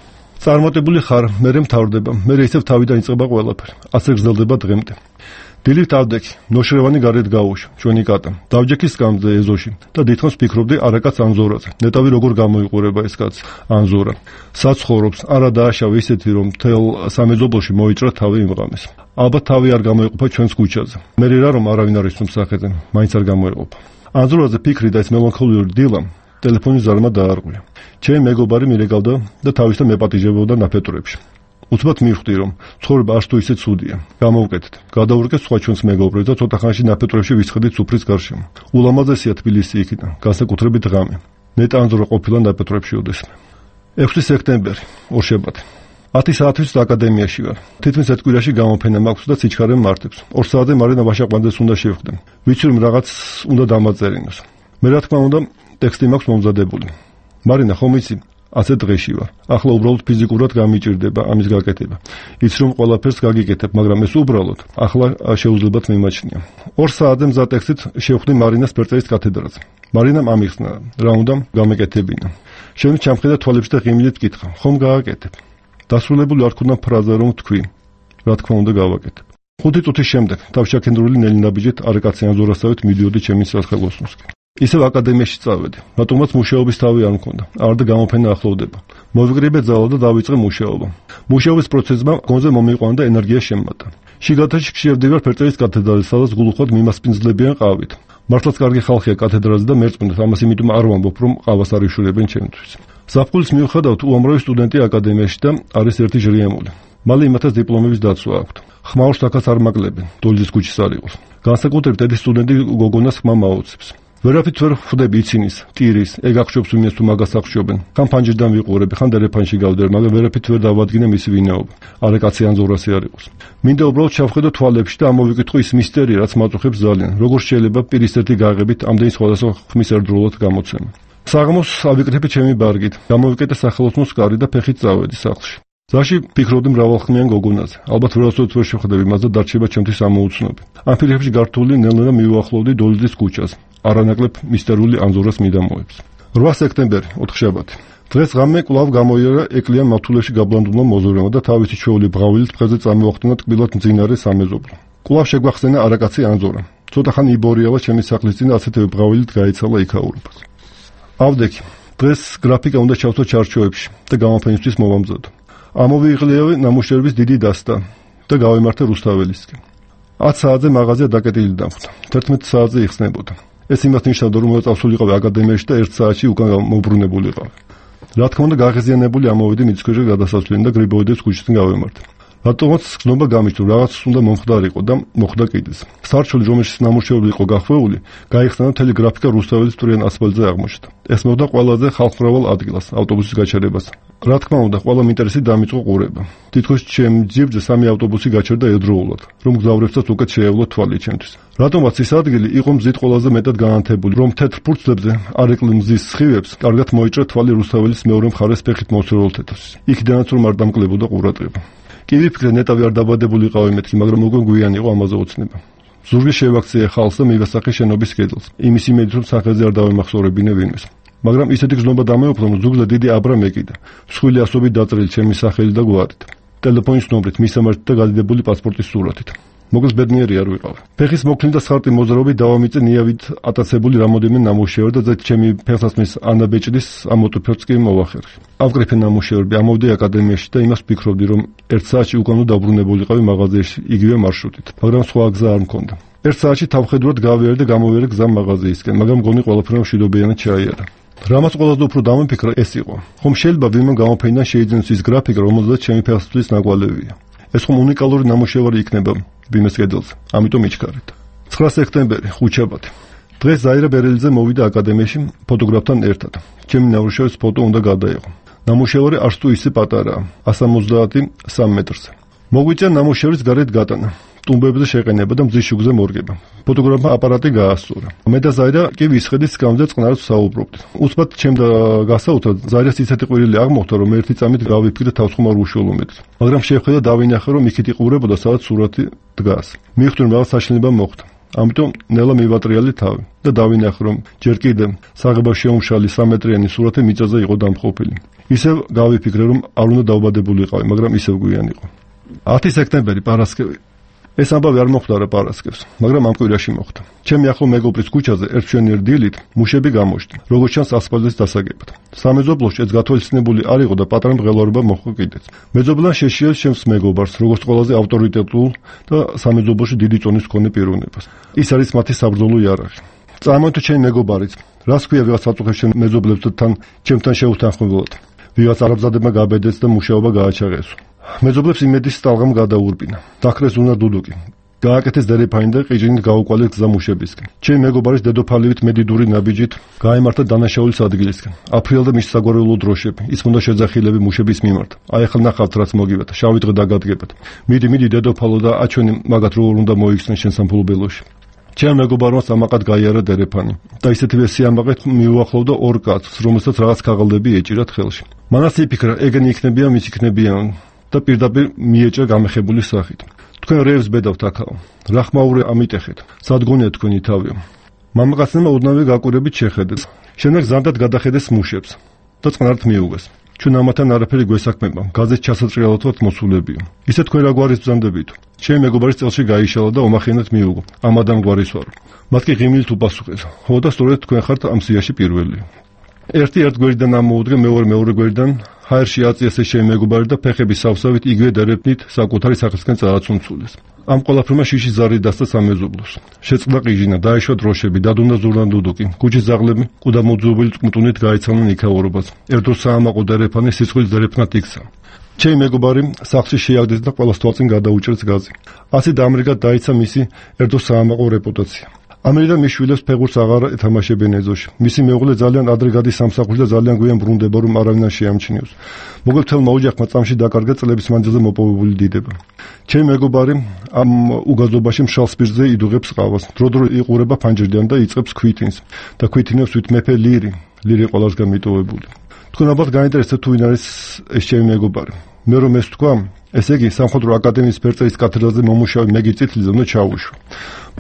წარმატებული ხარ, მერე მთავრდება, მერე ისევ თავიდან იწყება ყველაფერი. ასე გრძელდება დღემდე. დილით ავდექი, ნოშრევანი გარეთ გაუშვა, ჩვენი კატა. დავჯექი სკამზე ეზოში და დიდხანს ფიქრობდი არაკაც ანზორაზე. ნეტავი როგორ გამოიყურება ეს კაცი, ანზორა. საცხოვრობს, არა დააშავე ისეთი, რომ თელ სამეზობლოში მოიჭრა თავი იმ ღამეს. ალბათ თავი არ გამოიყოფა ჩვენს ქუჩაზე. მე რა რომ არავინ არ ისვენს სახეზე, მაინც არ გამოიყოფა. ანზორაზე ფიქრი და ეს მელანქოლიური დილა ტელეფონის ზარმა დაარღვია. ჩემი მეგობარი მირეკავდა და თავისთან მეპატიჟებოდა ნაფეტურებში. უცბად მივხვდი, რომ ცხოვრება არც თუ ისე ცუდია. გამოვკეთეთ. გადავურკე სხვა ჩვენს მეგობრებს და ცოტა ხანში ნაფეტურებში ვისხედით სუფრის გარშემო. ულამაზესია თბილისი იქიდან, განსაკუთრებით ღამე. ნეტა ანზორა ყოფილა ნაფეტურებში ოდესმე. ექვსი სექტემბერი, ორშაბათი. ათი საათის აკადემიაში ვარ. თითქმის ერთ კვირაში გამოფენა მაქვს და სიჩქარე მარტებს. ორ საათზე მარინა ვაშაყვანძეს უნდა შევხვდე. ვიცი რომ რაღაც უნდა დამაწერინოს. მე რა თქმა უნდა ტექსტი მაქვს მომზადებული. მარინა ხომ იცი, ასე დღეში ვარ. ახლა უბრალოდ ფიზიკურად გამიჭირდება ამის გაკეთება. იცი რომ ყველაფერს გაგიკეთებ, მაგრამ ეს უბრალოდ ახლა შეუძლებათ მიმაჩნია. ორ საათზე მზად ტექსტით შევხვდი მარინას ფერწერის კათედრაზე. მარინამ ამიხსნა, რა უნდა გამეკეთებინა. შენ ჩამხედა თვალებში და ღიმილით კითხა, ხომ გააკეთებ? დასრულებული არ ქონდა ფრაზა რომ თქვი. რა თქმა უნდა გავაკეთებ. ხუთი წუთის შემდეგ თავშაქენდრული ნელი ნაბიჯით არაკაციან ზორასავით მიდიოდი ჩემი სახელოსნოსკენ. ისევ აკადემიაში წავედი, რატომაც მუშაობის თავი არ მქონდა. არ და გამოფენა ახლოვდება. მოვიკრიბე ძალა და დავიწყე მუშაობა. მუშაობის პროცესმა გონზე მომიყვანა და ენერგია შემატა. შიგადაში შევდივარ ფერწერის კათედრაზე, სადაც გულუხოდ მიმასპინძლებიან ყავით. მართლაც კარგი ხალხია კათედრაზე და მერწმუნდით, ამას იმიტომ არ ვამბობ, რომ ყავას არ იშურებენ ჩემთვის. ზაფხულის მიუხედავად უამრავი სტუდენტი აკადემიაში და არის ერთი ჟრიამული. მალე იმათაც დიპლომების დაცვა აქვთ. ხმაურს თაკაც არ მაგლებენ, დოლიძის ქუჩის არ იყოს. განსაკუთრებით ეს სტუდენტი გოგონას ხმა მაუცებს. ვერაფრით ვერ ხვდები იცინის, ტირის, ეგ აღშობს ვინმეს თუ მაგას აღშობენ. ხან ფანჯრიდან ვიყურები, ხან დერეფანში გავდერ, მაგრამ ვერაფრით ვერ დავადგინე მისი ვინაობა. არა კაცი ან ზორასი არ იყოს. მინდა უბრალოდ ჩავხედო თვალებში და ამოვიკითხო ის მისტერი, რაც მაწუხებს ძალიან. როგორ შეიძლება პირის ერთი გაღებით ამდენი სხვადასხვა ხმის ერთდროულად გამოცემა. საღამოს ავიკრიფე ჩემი ბარგით, გამოვიკეთე სახელოსნოს კარი და ფეხით წავედი სახლში. ზაში ფიქრობდი მრავალხმიან გოგონაზე. ალბათ ვერასოდეს ვერ შევხვდები მას და დარჩება ჩემთვის ამოუცნობი. ამ ფილმებში გართული ნელ-ნელა მივუახლოვდი დოლიძის ქუჩას. არანაკლებ მისტერიული ანზორას მიდამოებს. რვა სექტემბერი, ოთხშაბათი. დღეს ღამე კვლავ გამოიარა ეკლიან მავთულებში გაბლანდულმა მოზორემო და თავისი ჩვეული ბღავილით დღეზე წამოახდინა ტკბილად მძინარე სამეზობლო. კვლავ შეგვახსენა არაკაცი ანზორა. ცოტა ხანი იბორიალა ჩემი სახლის წინ ასეთივე ბღავილით გაიცალა იქაურებას. ავდექი, დღეს გრაფიკა უნდა ჩავთო ჩარჩოებში და გამოფენისთვის მოვამზადო. ამოვიღლიავე ნამუშევრების დიდი დასტა და გავემართე რუსთაველისკენ. ათ საათზე მაღაზია დაკეტილი დამხვდა. თერთმეტ საათზე იხსნებოდა. ეს იმას ნიშნავდა, რომ წავსულიყავი აკადემიაში და ერთ საათში უკან მოbrunებულიყავი. რა თქმა უნდა, გაღიზიანებული ამოვედი მიწქვეშე გადასასვლელიდან და გრიბოედების ქუჩიდან გავემართე. რატომაც გზნობა გამიჩნდა, რაღაც უნდა მომხდარიყო და მოხდა კიდეც. სარჩული, რომელშიც ნამუშევრები იყო გახვეული, გაიხსნა და მთელი გრაფიკა რუსთაველის მტვრიან ასფალტზე აღმოჩნდა. ეს მოხდა ყველაზე ხალხმრავალ ადგილას, ავტობუსის გაჩერებას. რა თქმა უნდა, ყველა ინტერესით დამიწყო ყურება. თითქოს ჩემ ძირძე სამი ავტობუსი გაჩერდა ერთდროულად, რომ გზავრებსაც უკეთ შეევლო თვალი ჩემთვის. რატომაც ის ადგილი იყო მზით ყველაზე მეტად განათებული, რომ თეთრ ფურცლებზე არ ეკლე მზის სხივებს, კარგად მოიჭრა თვალი რუსთაველის მეორე მხარეს ფეხით მოსროლ თეთრს. იქიდანაც რომ არ დამკლებოდა ყურადღება. კი ვიფიქრე ნეტავი არ დაბადებულიყავი მეთქი, მაგრამ უკვე გვიანი იყო ამაზე ოცნება. ზურგი შევაქციე ხალხს და მივასახე შენობის კედელს. იმის იმედით რომ სახელზე არ დავემახსოვრებინე ვინმეს. მაგრამ ისეთი გზნობა დამეუფლა, რომ ზურგზე დიდი აბრა მეკიდა. მსხვილი ასობით დაწერილი ჩემი სახელი და გვარით. ტელეფონის ნომრით, მისამართით და გადიდებული პასპორტის სურათით. მოკლედ ბედნიერი არ ვიყავ. ფეხის მოქნილ და სხარტი მოზრაობით დავამიწე ნიავით ატაცებული რამოდენიმე ნამუშევარი და ჩემი ფეხსაცმლის ანაბეჭდის ამოტვიფერს კი მოვახერხე. ავკრიფე ნამუშევრები, ამოვედი აკადემიაში და იმას ვფიქრობდი, რომ ერთ საათში უკან დავბრუნებულიყავი მაღაზიაში იგივე მარშრუტით, მაგრამ სხვა გზა არ მქონდა. ერთ საათში თავხედურად გავიარე და გამოვიარე გზა მაღაზიისკენ, მაგრამ მგონი ყველაფერი მშვიდობიანად ჩაიარა. რამაც ყველაზე უფრო დამიფიქრა ეს იყო, ხომ შეიძლება ვინმე გამოფენიდან შეიძინოს ის გრაფიკა, რომელზეც ჩემი ფეხსაცმლის ნაკვალევია. ეს ხომ უნიკალური ნამუშევარი იქნება ვინმეს კედელზე, ამიტომ იჩქარეთ. ცხრა სექტემბერი, ხუთშაბათი. დღეს ზაირა ბერელიძე მოვიდა აკადემიაში ფოტოგრაფთან ერთად. ჩემი ნამუშევრის ფოტო უნდა გადაეღო. ნამუშევარი არც თუ ისე პატარაა, εκατს ორმოცდაათი სამ მეტრზე. მოგვიწია ნამუშევრის გარეთ გატანა. ტუმბებზე შეყენება და მზის შუქზე მორგება. ფოტოგრაფმა აპარატი გაასწორა. მე და ზაირა კი ვისხედით სკამზე წყნარად ვსაუბრობდით. უცბად ჩემ და გასაუბრად ზაირას ისეთი ყვირილი აღმოხდა, რომ ერთი წამით გავიფიქრე თავსხმარ უშუალომეთს. მაგრამ შევხედა დავინახე, რომ იქით იყურებოდა, სადაც სურათი დგას. მივხვდი, რომ რაღაც საშინება მოხდა. ამიტომ ნელა მივატრიალე თავი და დავინახე, რომ ჯერ კიდევ საღებავ შეუმშალი სამეტრიანი სურათი მიწაზე იყო დამხობილი. ისევ გავიფიქრე, რომ არ უნდა დავბადებულიყავი, მაგრამ ისევ გვიანი იყო. ათი სექტემბერი, პარასკევი. ეს ამბავი არ მოხდა რა პარასკევს, მაგრამ ამ კვირაში მოხდა. ჩემი ახლო მეგობრის ქუჩაზე ერთ მშვენიერ დილით მუშები გამოჩნდა, როგორც ჩანს ასფალტის დასაგებად. სამეზობლოში ეს გათვალისწინებული არ იყო და პატარა მღელვარება მოხდა კიდეც. მეძობლან შეშიეს ჩემს მეგობარს, როგორც ყველაზე ავტორიტეტულ და სამეზობლოში დიდი წონის მქონე პიროვნებას. ის არის მათი საბრძოლო იარაღი. წარმოიდგინეთ ჩემი მეგობარიც, რას ქვია ვიღაც აწუხებს ჩემ მეზობლებს და თან ჩემთან შეუთანხმებლად. ვიღაც არაბზადებმა გაბედეს და მუშაობა გააჩაღეს. მეძობლებს იმედის სტალღამ გადაურბინა. დაქრეს უნა დუდუკი. გააკეთეს დერეფანი და ყიჟინით გაუყვალეს გზა მუშებისკენ. ჩემი მეგობარის დედოფალივით მედიდური ნაბიჯით გაემართა დანაშაულის ადგილისკენ. აფრიალდა მის საგვარეულო დროშები. ის უნდა შეძახილები მუშების მიმართ. აი ახლა ნახავთ რაც მოგივათ. შავი დღე დაგადგებათ. მიდი, მიდი დედოფალო და აჩვენი მაგათ როგორ უნდა მოიქცნენ შენ სამფლობელოში. ჩემ მეგობარმა სამაყად გაიარა დერეფანი და ისეთივე სიამაყედ მიუახლოვდა ორ კაცს, რომელსაც რაღაც ქაღალდები ეჭირათ ხელში. მანაც იფიქრა, ეგენი იქნებიან, მის იქნებიან და პირდაპირ მიეჭა გამეხებული სახით. თქვენ რევს ბედავთ აქაო. რა ხმაურე ამიტეხეთ. სადგონია თქვენი თავი. მამაკაცმა ოდნავი გაკვირებით შეხედეს. შემდეგ ზანდად გადახედეს მუშებს და წყნართ მიუღეს. ჩვენ ამათან არაფერი გვესაქმება. გაზეთ ჩასაჭრელად ვართ მოსულებია. ისე თქვენ რა გვარის ბრძანდებით? ჩემი მეგობარის წელში გაიშალა და ომახენად მიუღო. ამ ადამ გვარის ვარ. მათ კი ღიმილით უპასუხეს. ხო და სწორედ თქვენ ხართ ამ სიაში პირველი. ერთი ერთ გვერდიდან ამოუდგე, მეორე მეორე გვერდიდან ჰაერში აწიეს ჩემი მეგობარი და ფეხების სავსავით იგივე დერეფნით საკუთარი სახისკენ წააცუნცულეს. ამ ყველაფრმა შიში ზარი დასცა სამეზობლოს. შეწყდა ყიჟინა, დაიშვა დროშები, დადუნდა ზურნანდუდუკი. კუჩის ზაღლები ყუდა მოძუობილი წმტუნით გაიცანონ იქაურობას. ერთდროს საამაყო დერეფანი სიცხვილის დერეფნად იქცა. ჩემი მეგობარი სახლში შეაგდეს და ყველას თვალწინ გადაუჭერს გაზი. ასე დაამრიგად დაიცა მისი ერთდროს საამაყო რეპუტაცია. ამერიდან მის შვილებს ფეხურს აღარ ეთამაშებენ ეზოში. მისი მეუღლე ძალიან ადრე გადის სამსახურში და ძალიან გვიან ბრუნდება, რომ არავინ არ შეამჩნიოს. მოგებთელმა ოჯახმა წამში დაკარგა წლების მანძილზე მოპოვებული დიდება. ჩემი მეგობარი ამ უგაზობაში მშრალ სპირტზე იდუღებს ყავას. დრო-დრო იყურება ფანჯრიდან და იწყებს ქვითინს და ქვითინებს ვით მეფე ლირი. ლირი ყველასგან მიტოვებული. თქვენ ალბათ გაინტერესებთ თუ ვინ არის ეს ჩემი მეგობარი. მე რომ ეს თქვა, ესე იგი სამხედრო აკადემიის ფერწერის კათედრაზე მომუშავე მეგი წითლიძე უნდა ჩაუშვო.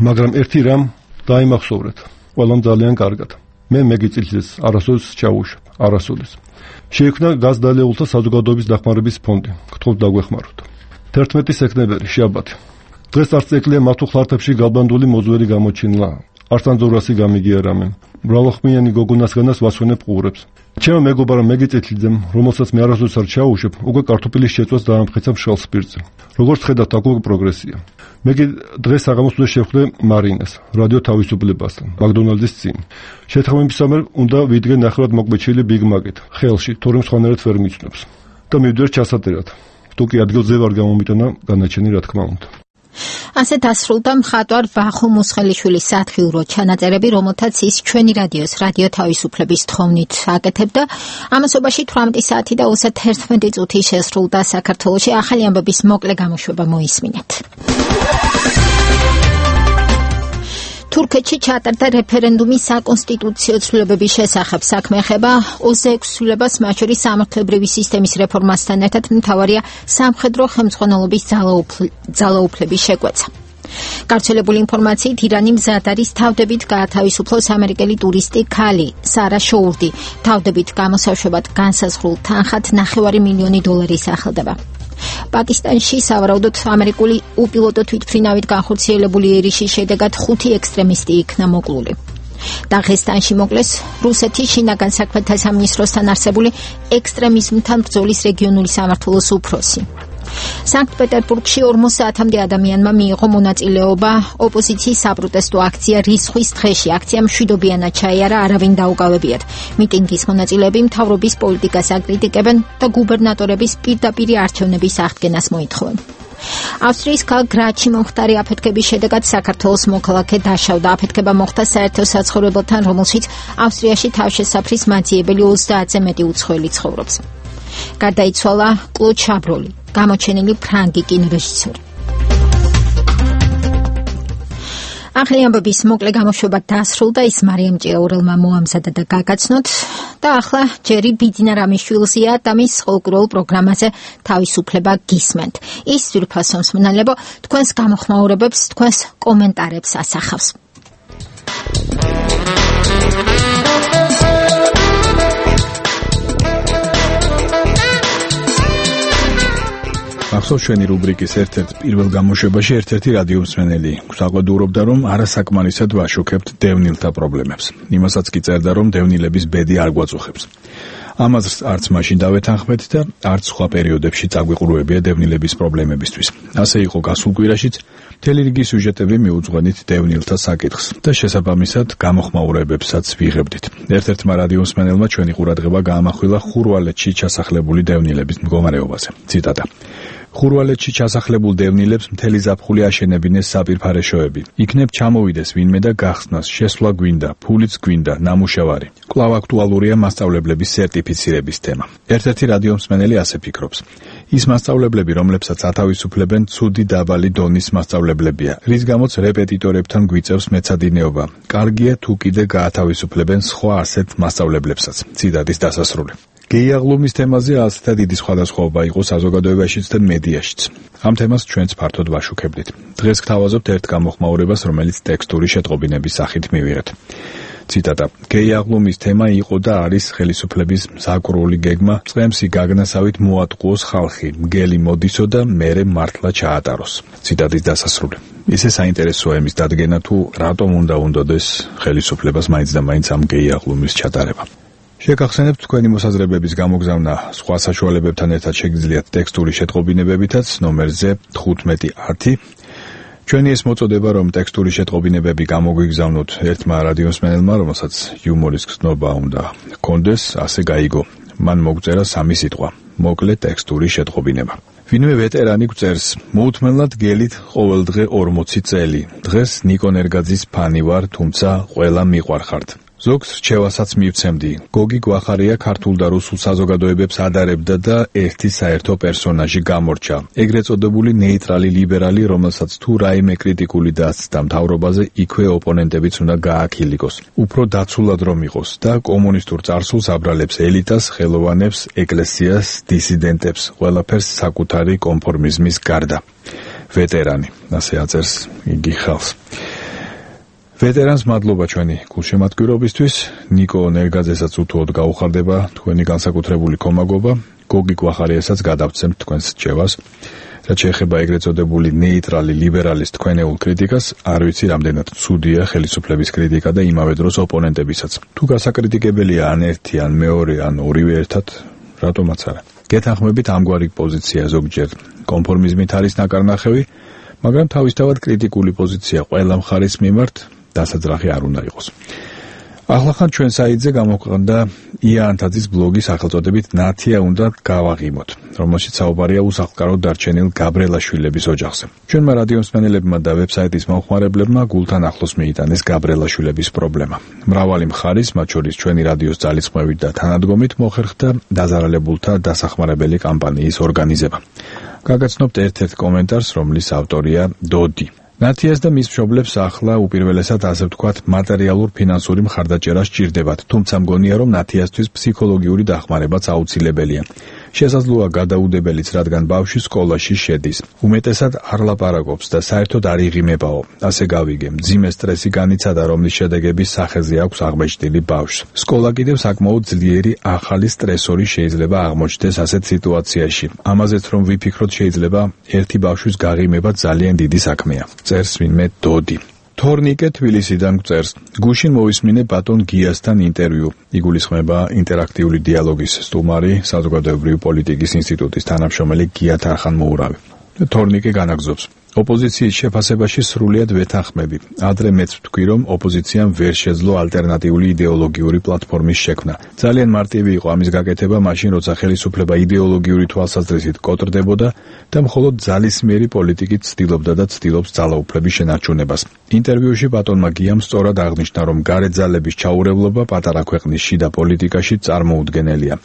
მაგრამ ერთი რამ დაიმახსოვრეთ. ყველამ ძალიან კარგად. მე მეგი წითლიძეს არასოდეს ჩაუშვებ, არასოდეს. შეიქმნა გაზდალეულთა საზოგადოების დახმარების ფონდი. გთხოვთ დაგვეხმაროთ. თერთმეტი სექტემბერი, შაბათი. დღეს არც ეკლია მათუ ხლარტებში გალბანდული მოზვერი გამოჩინლა. არც ანძორასი გამიგიარამენ. მრავალხმიანი გოგონასგანას ვასვენებ ყურებს. ჩემო მეგობარმა მეგი წითლიძემ, რომელსაც მე არასოდეს არ ჩაუშვებ, უკვე კარტოფილის შეწვას დაამტკიცა მშრალ სპირტზე. როგორც ხედავთ, აქ უკვე პროგრესია. მეგი დღეს საღამოსვე შევხვდე მარინას, რადიო თავისუფლებასთან, მაკდონალდის წინ. შეთანხმებისამებრ უნდა ვიდგე ნახევრად მოკვეჩილი ბიგ მაკეთ, ხელში, თორემ სხვანაირად ვერ მიცნობს. და მივდივარ ჩასატერად. თუ კი ადგილზე ვარ გამომიტანა განაჩენი, რა თქმა უნდა. ასე დასრულდა მხატვარ ვახო მუსხელიშვილის სათხიურო ჩანაწერები, რომელთაც ის ჩვენი რადიოს რადიო თავისუფლების თხოვნით აკეთებდა. ამასობაში თვრამეტი საათი და ოცდაერთმეტი წუთი შესრულდა საქართველოში. ახალი ამბების მოკლე გამოშვება მოისმინეთ. თურქეთში ჩატარდა რეფერენდუმი საკონსტიტუციო ცვლილებების შესახებ. საქმე ეხება ოცდაექვსი ცვლილებას, მათ შორის სამართლებრივი სისტემის რეფორმასთან ერთად მთავარია სამხედრო ხელმძღვანელობის ძალაუფლების შეკვეცა. გავრცელებული ინფორმაციით ირანი მზად არის თავდებით გაათავისუფლოს ამერიკელი ტურისტი ქალი სარა შოურდი. თავდებით გამოსაშვებად განსაზღვრულ თანხად ნახევარი მილიონი დოლარი სახელდება. პაკისტანში სავარაუდოდ ამერიკული უპილოტო თვითმფრინავით განხორციელებული ერიშის შედეგად ხუთი ექსტრემისტი იქნა მოკლული. დაღესტანში მოკლეს რუსეთის შინაგან საქმეთა სამინისტროსთან არსებული ექსტრემიზმთან ბრძოლის რეგიონული სამმართველოს უფროსი. სანქტ-პეტერბურგში ორმოც საათამდე ადამიანმა მიიღო მონაწილეობა ოპოზიციის საპროტესტო აქცია რისხვის დღეში. აქცია მშვიდობიანად ჩაიარა, არავინ დაუკავებიათ. მიტინგის მონაწილეები მთავრობის პოლიტიკას აკრიტიკებენ და გუბერნატორების პირდაპირი არჩევნების აღდგენას მოითხოვენ. ავსტრიის ქალაქ გრაცში მომხდარი აფეთქების შედეგად საქართველოს მოქალაქე დაშავდა. აფეთქება მოხდა საერთო საცხოვრებელთან, რომელშიც ავსტრიაში თავშესაფრის მაძიებელი ოცდაათზე მეტი უცხოელი ცხოვრობს. გარდაიცვალა კლოდ შაბროლი, გამოჩენილი ფრანგი კინორეჟისორი. ახალი ამბების მოკლე გამოშვება დასრულდა. ის მარიამ ჭიაურელმა მოამზადა და გაგაცნოთ და ახლა ჯერი ბიძინა რამიშვილზეა და მის ფოლკლორულ პროგრამაზე თავისუფლება გისმენთ. ის ძვირფასო მსმენელებო თქვენს გამოხმაურებებს, თქვენს კომენტარებს ასახავს. ახსოვს ჩვენი რუბრიკის ერთ-ერთ პირველ გამოშვებაში ერთ-ერთი რადიო მსმენელი გვსაყვედურობდა, რომ არასაკმარისად ვაშუქებთ დევნილთა პრობლემებს. იმასაც კი წერდა, რომ დევნილების ბედი არ გვაწუხებს. ამას არც მაშინ დავეთანხმეთ და არც სხვა პერიოდებში წაგვიყურებია დევნილების პრობლემებისთვის. ასე იყო გასულ კვირაშიც, მთელი რიგი სიუჟეტები მიუძღვენით დევნილთა საკითხს და შესაბამისად გამოხმაურებებსაც ვიღებდით. ერთ-ერთმა რადიო მსმენელმა ჩვენი ყურადღება გაამახვილა ხურვალეთში ჩასახლებული დევნილების მდგომარეობაზე. ციტატა: ხურვალეთში ჩასახლებულ დევნილებს მთელი ზაფხული აშენებინეს საპირფარეშოები. იქნებ ჩამოვიდეს ვინმე და გახსნას, შესვლა გვინდა, ფულიც გვინდა, ნამუშევარი. კვლავ აქტუალურია მასწავლებლების სერტიფიცირების თემა. ერთ-ერთი რადიო მსმენელი ასე ფიქრობს. ის მასწავლებლები, რომლებსაც ათავისუფლებენ, ცუდი დაბალი დონის მასწავლებლებია, რის გამოც რეპეტიტორებთან გვიწევს მეცადინეობა. კარგია თუ კიდე გაათავისუფლებენ სხვა ასეთ მასწავლებლებსაც. ციტატის დასასრული. გეიაღლუმის თემაზე ასეთა დიდი სხვადასხვაობა იყო საზოგადოებაშიც და მედიაშიც. ამ თემას ჩვენც ფართოდ ვაშუქებდით. დღეს გთავაზობთ ერთ გამოხმაურებას, რომელიც ტექსტური შეტყობინების სახით მივიღეთ. ციტატა: გეიაღლუმის თემა იყო და არის ხელისუფლების საკრული გეგმა, წემსი გაგნასავით მოატყუოს ხალხი, მგელი მოდისო და მერე მართლა ჩაატაროს. ციტატის დასასრული. ისე საინტერესოა იმის დადგენა, თუ რატომ უნდა უნდოდეს ხელისუფლებას მაინც და მაინც ამ გეიაღლუმის ჩატარება. შეგახსენებთ თქვენი მოსაზრებების გამოგზავნა სხვა საშუალებებთან ერთად შეგიძლიათ ტექსტური შეტყობინებებითაც ნომერზე თხუთმეტი ათი. ჩვენი ეს მოწოდება, რომ ტექსტური შეტყობინებები გამოგვიგზავნოთ ერთმა რადიოსმენელმა, რომელსაც იუმორის გზნობა უნდა ჰქონდეს, ასე გაიგო. მან მოგწერა სამი სიტყვა: მოკლე ტექსტური შეტყობინება. ვინმე ვეტერანი გვწერს: მოუთმენლად გელით ყოველდღე ორმოცი წელი. დღეს ნიკო ნერგაძის ფანი ვარ, თუმცა ყველა მიყვარხართ. ზოგს რჩევასაც მივცემდი. გოგი გვახარია ქართულ და რუსულ საზოგადოებებს ადარებდა და ერთი საერთო პერსონაჟი გამორჩა. ეგრეთ წოდებული ნეიტრალი ლიბერალი, რომელსაც თუ რაიმე კრიტიკული დასცდა მთავრობაზე, იქვე ოპონენტებიც უნდა გააქილიკოს. უფრო დაცულად რომ იყოს და კომუნისტურ წარსულს აბრალებს ელიტას, ხელოვანებს, ეკლესიას, დისიდენტებს, ყველაფერს საკუთარი კონფორმიზმის გარდა. ვეტერანი, ასე აწერს იგი ხალხს. ვეტერანს მადლობა ჩვენი გულშემატკივრობისთვის. ნიკო ნერგაძესაც უთუოდ გაუხარდება თქვენი განსაკუთრებული კომაგობა. გოგი გვახარიასაც გადავცემთ თქვენს რჩევას. რაც შეეხება ეგრეთ წოდებული ნეიტრალი ლიბერალის თქვენეულ კრიტიკას, არ ვიცი რამდენად ცუდია ხელისუფლების კრიტიკა და იმავე დროს ოპონენტებისაც. თუ გასაკრიტიკებელია ან ერთი, ან მეორე, ან ორივე ერთად, რატომაც არა. გეთანხმებით ამგვარი პოზიცია ზოგჯერ კონფორმიზმით არის ნაკარნახევი, მაგრამ თავისთავად კრიტიკული პოზიცია ყველა მხარის მიმართ დასაძრახი არ უნდა იყოს. ახლახან ჩვენ საიტზე გამოქვეყნდა ია ანთაძის ბლოგი სახელწოდებით ნათია უნდა გავაღიმოთ, რომელშიც საუბარია უსახლკაროდ დარჩენილ გაბრელაშვილების ოჯახზე. ჩვენმა რადიოსმენელებმა და ვებსაიტის მომხმარებლებმა გულთან ახლოს მიიტანეს გაბრელაშვილების პრობლემა. მრავალი მხარის, მათ შორის ჩვენი რადიოს ძალისხმევით და თანადგომით მოხერხდა დაზარალებულთა დასახმარებელი კამპანიის ორგანიზება. გაგაცნობთ ერთ-ერთ კომენტარს, რომლის ავტორია დოდი. ნათიას და მის მშობლებს ახლა უპირველესად ასე ვთქვათ მატერიალურ-ფინანსური მხარდაჭერა სჭირდებათ, თუმცა მგონია რომ ნათიასთვის ფსიქოლოგიური დახმარებაც აუცილებელია. შესაძლოა გადაუდებელიც, რადგან ბავშვი სკოლაში შედის. უმეტესად არ ლაპარაკობს და საერთოდ არ იღიმებაო. ასე გავიგე, მძიმე სტრესი განიცადა, რომლის შედეგების სახეზე აქვს აღმოჩნილი ბავშვს. სკოლა კიდევ საკმაოდ ძლიერი ახალი სტრესორი შეიძლება აღმოჩნდეს ასეთ სიტუაციაში. ამაზეც რომ ვიფიქროთ, შეიძლება ერთი ბავშვის გაღიმება ძალიან დიდი საქმეა. წერს ვინმე დოდი. თორნიკე თბილისიდან გვწერს: გუშინ მოვისმინე ბატონ გიასთან ინტერვიუ. იგულისხმება ინტერაქტიული დიალოგის სტუმარი, საზოგადოებრივი პოლიტიკის ინსტიტუტის თანამშრომელი გია თარხან-მოურავი. თორნიკე განაგზობს: ოპოზიციის შეფასებაში სრულიად ვეთანხმები. ადრე მეც ვთქვი, რომ ოპოზიციამ ვერ შეძლო ალტერნატიული იდეოლოგიური პლატფორმის შექმნა. ძალიან მარტივი იყო ამის გაკეთება მაშინ, როცა ხელისუფლება იდეოლოგიური თვალსაზრისით კოტრდებოდა და მხოლოდ ძალისმიერი პოლიტიკით ცდილობდა და ცდილობს ძალაუფლების შენარჩუნებას. ინტერვიუში ბატონმა გიამ სწორად აღნიშნა, რომ გარეთ ძალების ჩაურევლობა პატარა ქვეყნის შიდა პოლიტიკაში წარმოუდგენელია.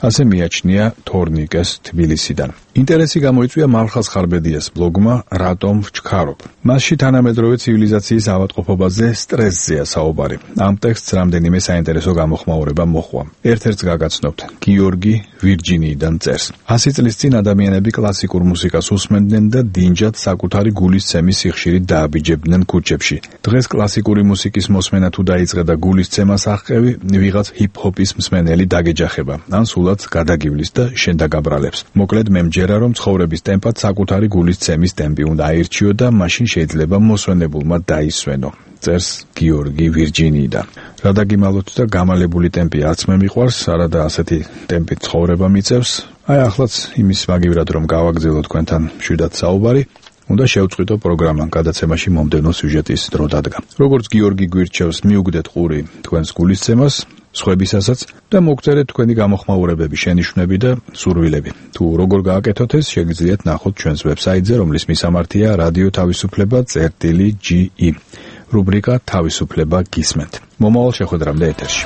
ასე მიაჩნია თორნიკეს თბილისიდან. ინტერესი გამოიწვია მალხაზ ხარბედიას ბლოგმა რატომ ვჩქარობ. მასში თანამედროვე ცივილიზაციის ავადმყოფობაზე სტრესზეა საუბარი. ამ ტექსტს რამდენიმე საინტერესო გამოხმაურება მოჰყვა. ერთ-ერთს გაგაცნობთ. გიორგი ვირჯინიიდან წერს: ასი წლის წინ ადამიანები კლასიკურ მუსიკას უსმენდნენ და დინჯად საკუთარი გულისცემის სიხშირით დააბიჯებდნენ ქუჩებში. დღეს კლასიკური მუსიკის მოსმენა თუ დაიწყე და გულისცემას აღყევი, ვიღაც ჰიპ-ჰოპის მსმენელი დაგეჯახება, ან სულაც გადაგივლის და შენ დაგაბრალებს. მოკლედ მე მჯერა, რომ ცხოვრების ტემპად საკუთარი გულისცემის ტემპი უნდა აირჩიო და მაშინ შეიძლება მოსვენებულმა დაისვენო. წერს გიორგი ვირჯინიიდან. რა დაგიმალოთ და გამალებული ტემპი არც მე მიყვარს, არადა ასეთი ტემპით ცხოვრება მიწევს. აი ახლაც იმის მაგივრად რომ გავაგზავნო თქვენთან მშვიდად საუბარი, უნდა შევწყვიტო პროგრამა, გადაცემაში მომდევნო სიუჟეტის დრო დადგა. როგორც გიორგი გვირჩევს, მიუგდეთ ყური თქვენს გულისცემას, სხვებისასაც და მოგწერეთ თქვენი გამოხმაურებები, შენიშვნები და სურვილები. თუ როგორ გააკეთოთ ეს, შეგიძლიათ ნახოთ ჩვენს ვებსაიტზე, რომლის მისამართია რადიო თავისუფლება წერტილი ჯი ი. რუბრიკა თავისუფლება გისმენთ. მომავალ შეხვედრამდე ეთერში.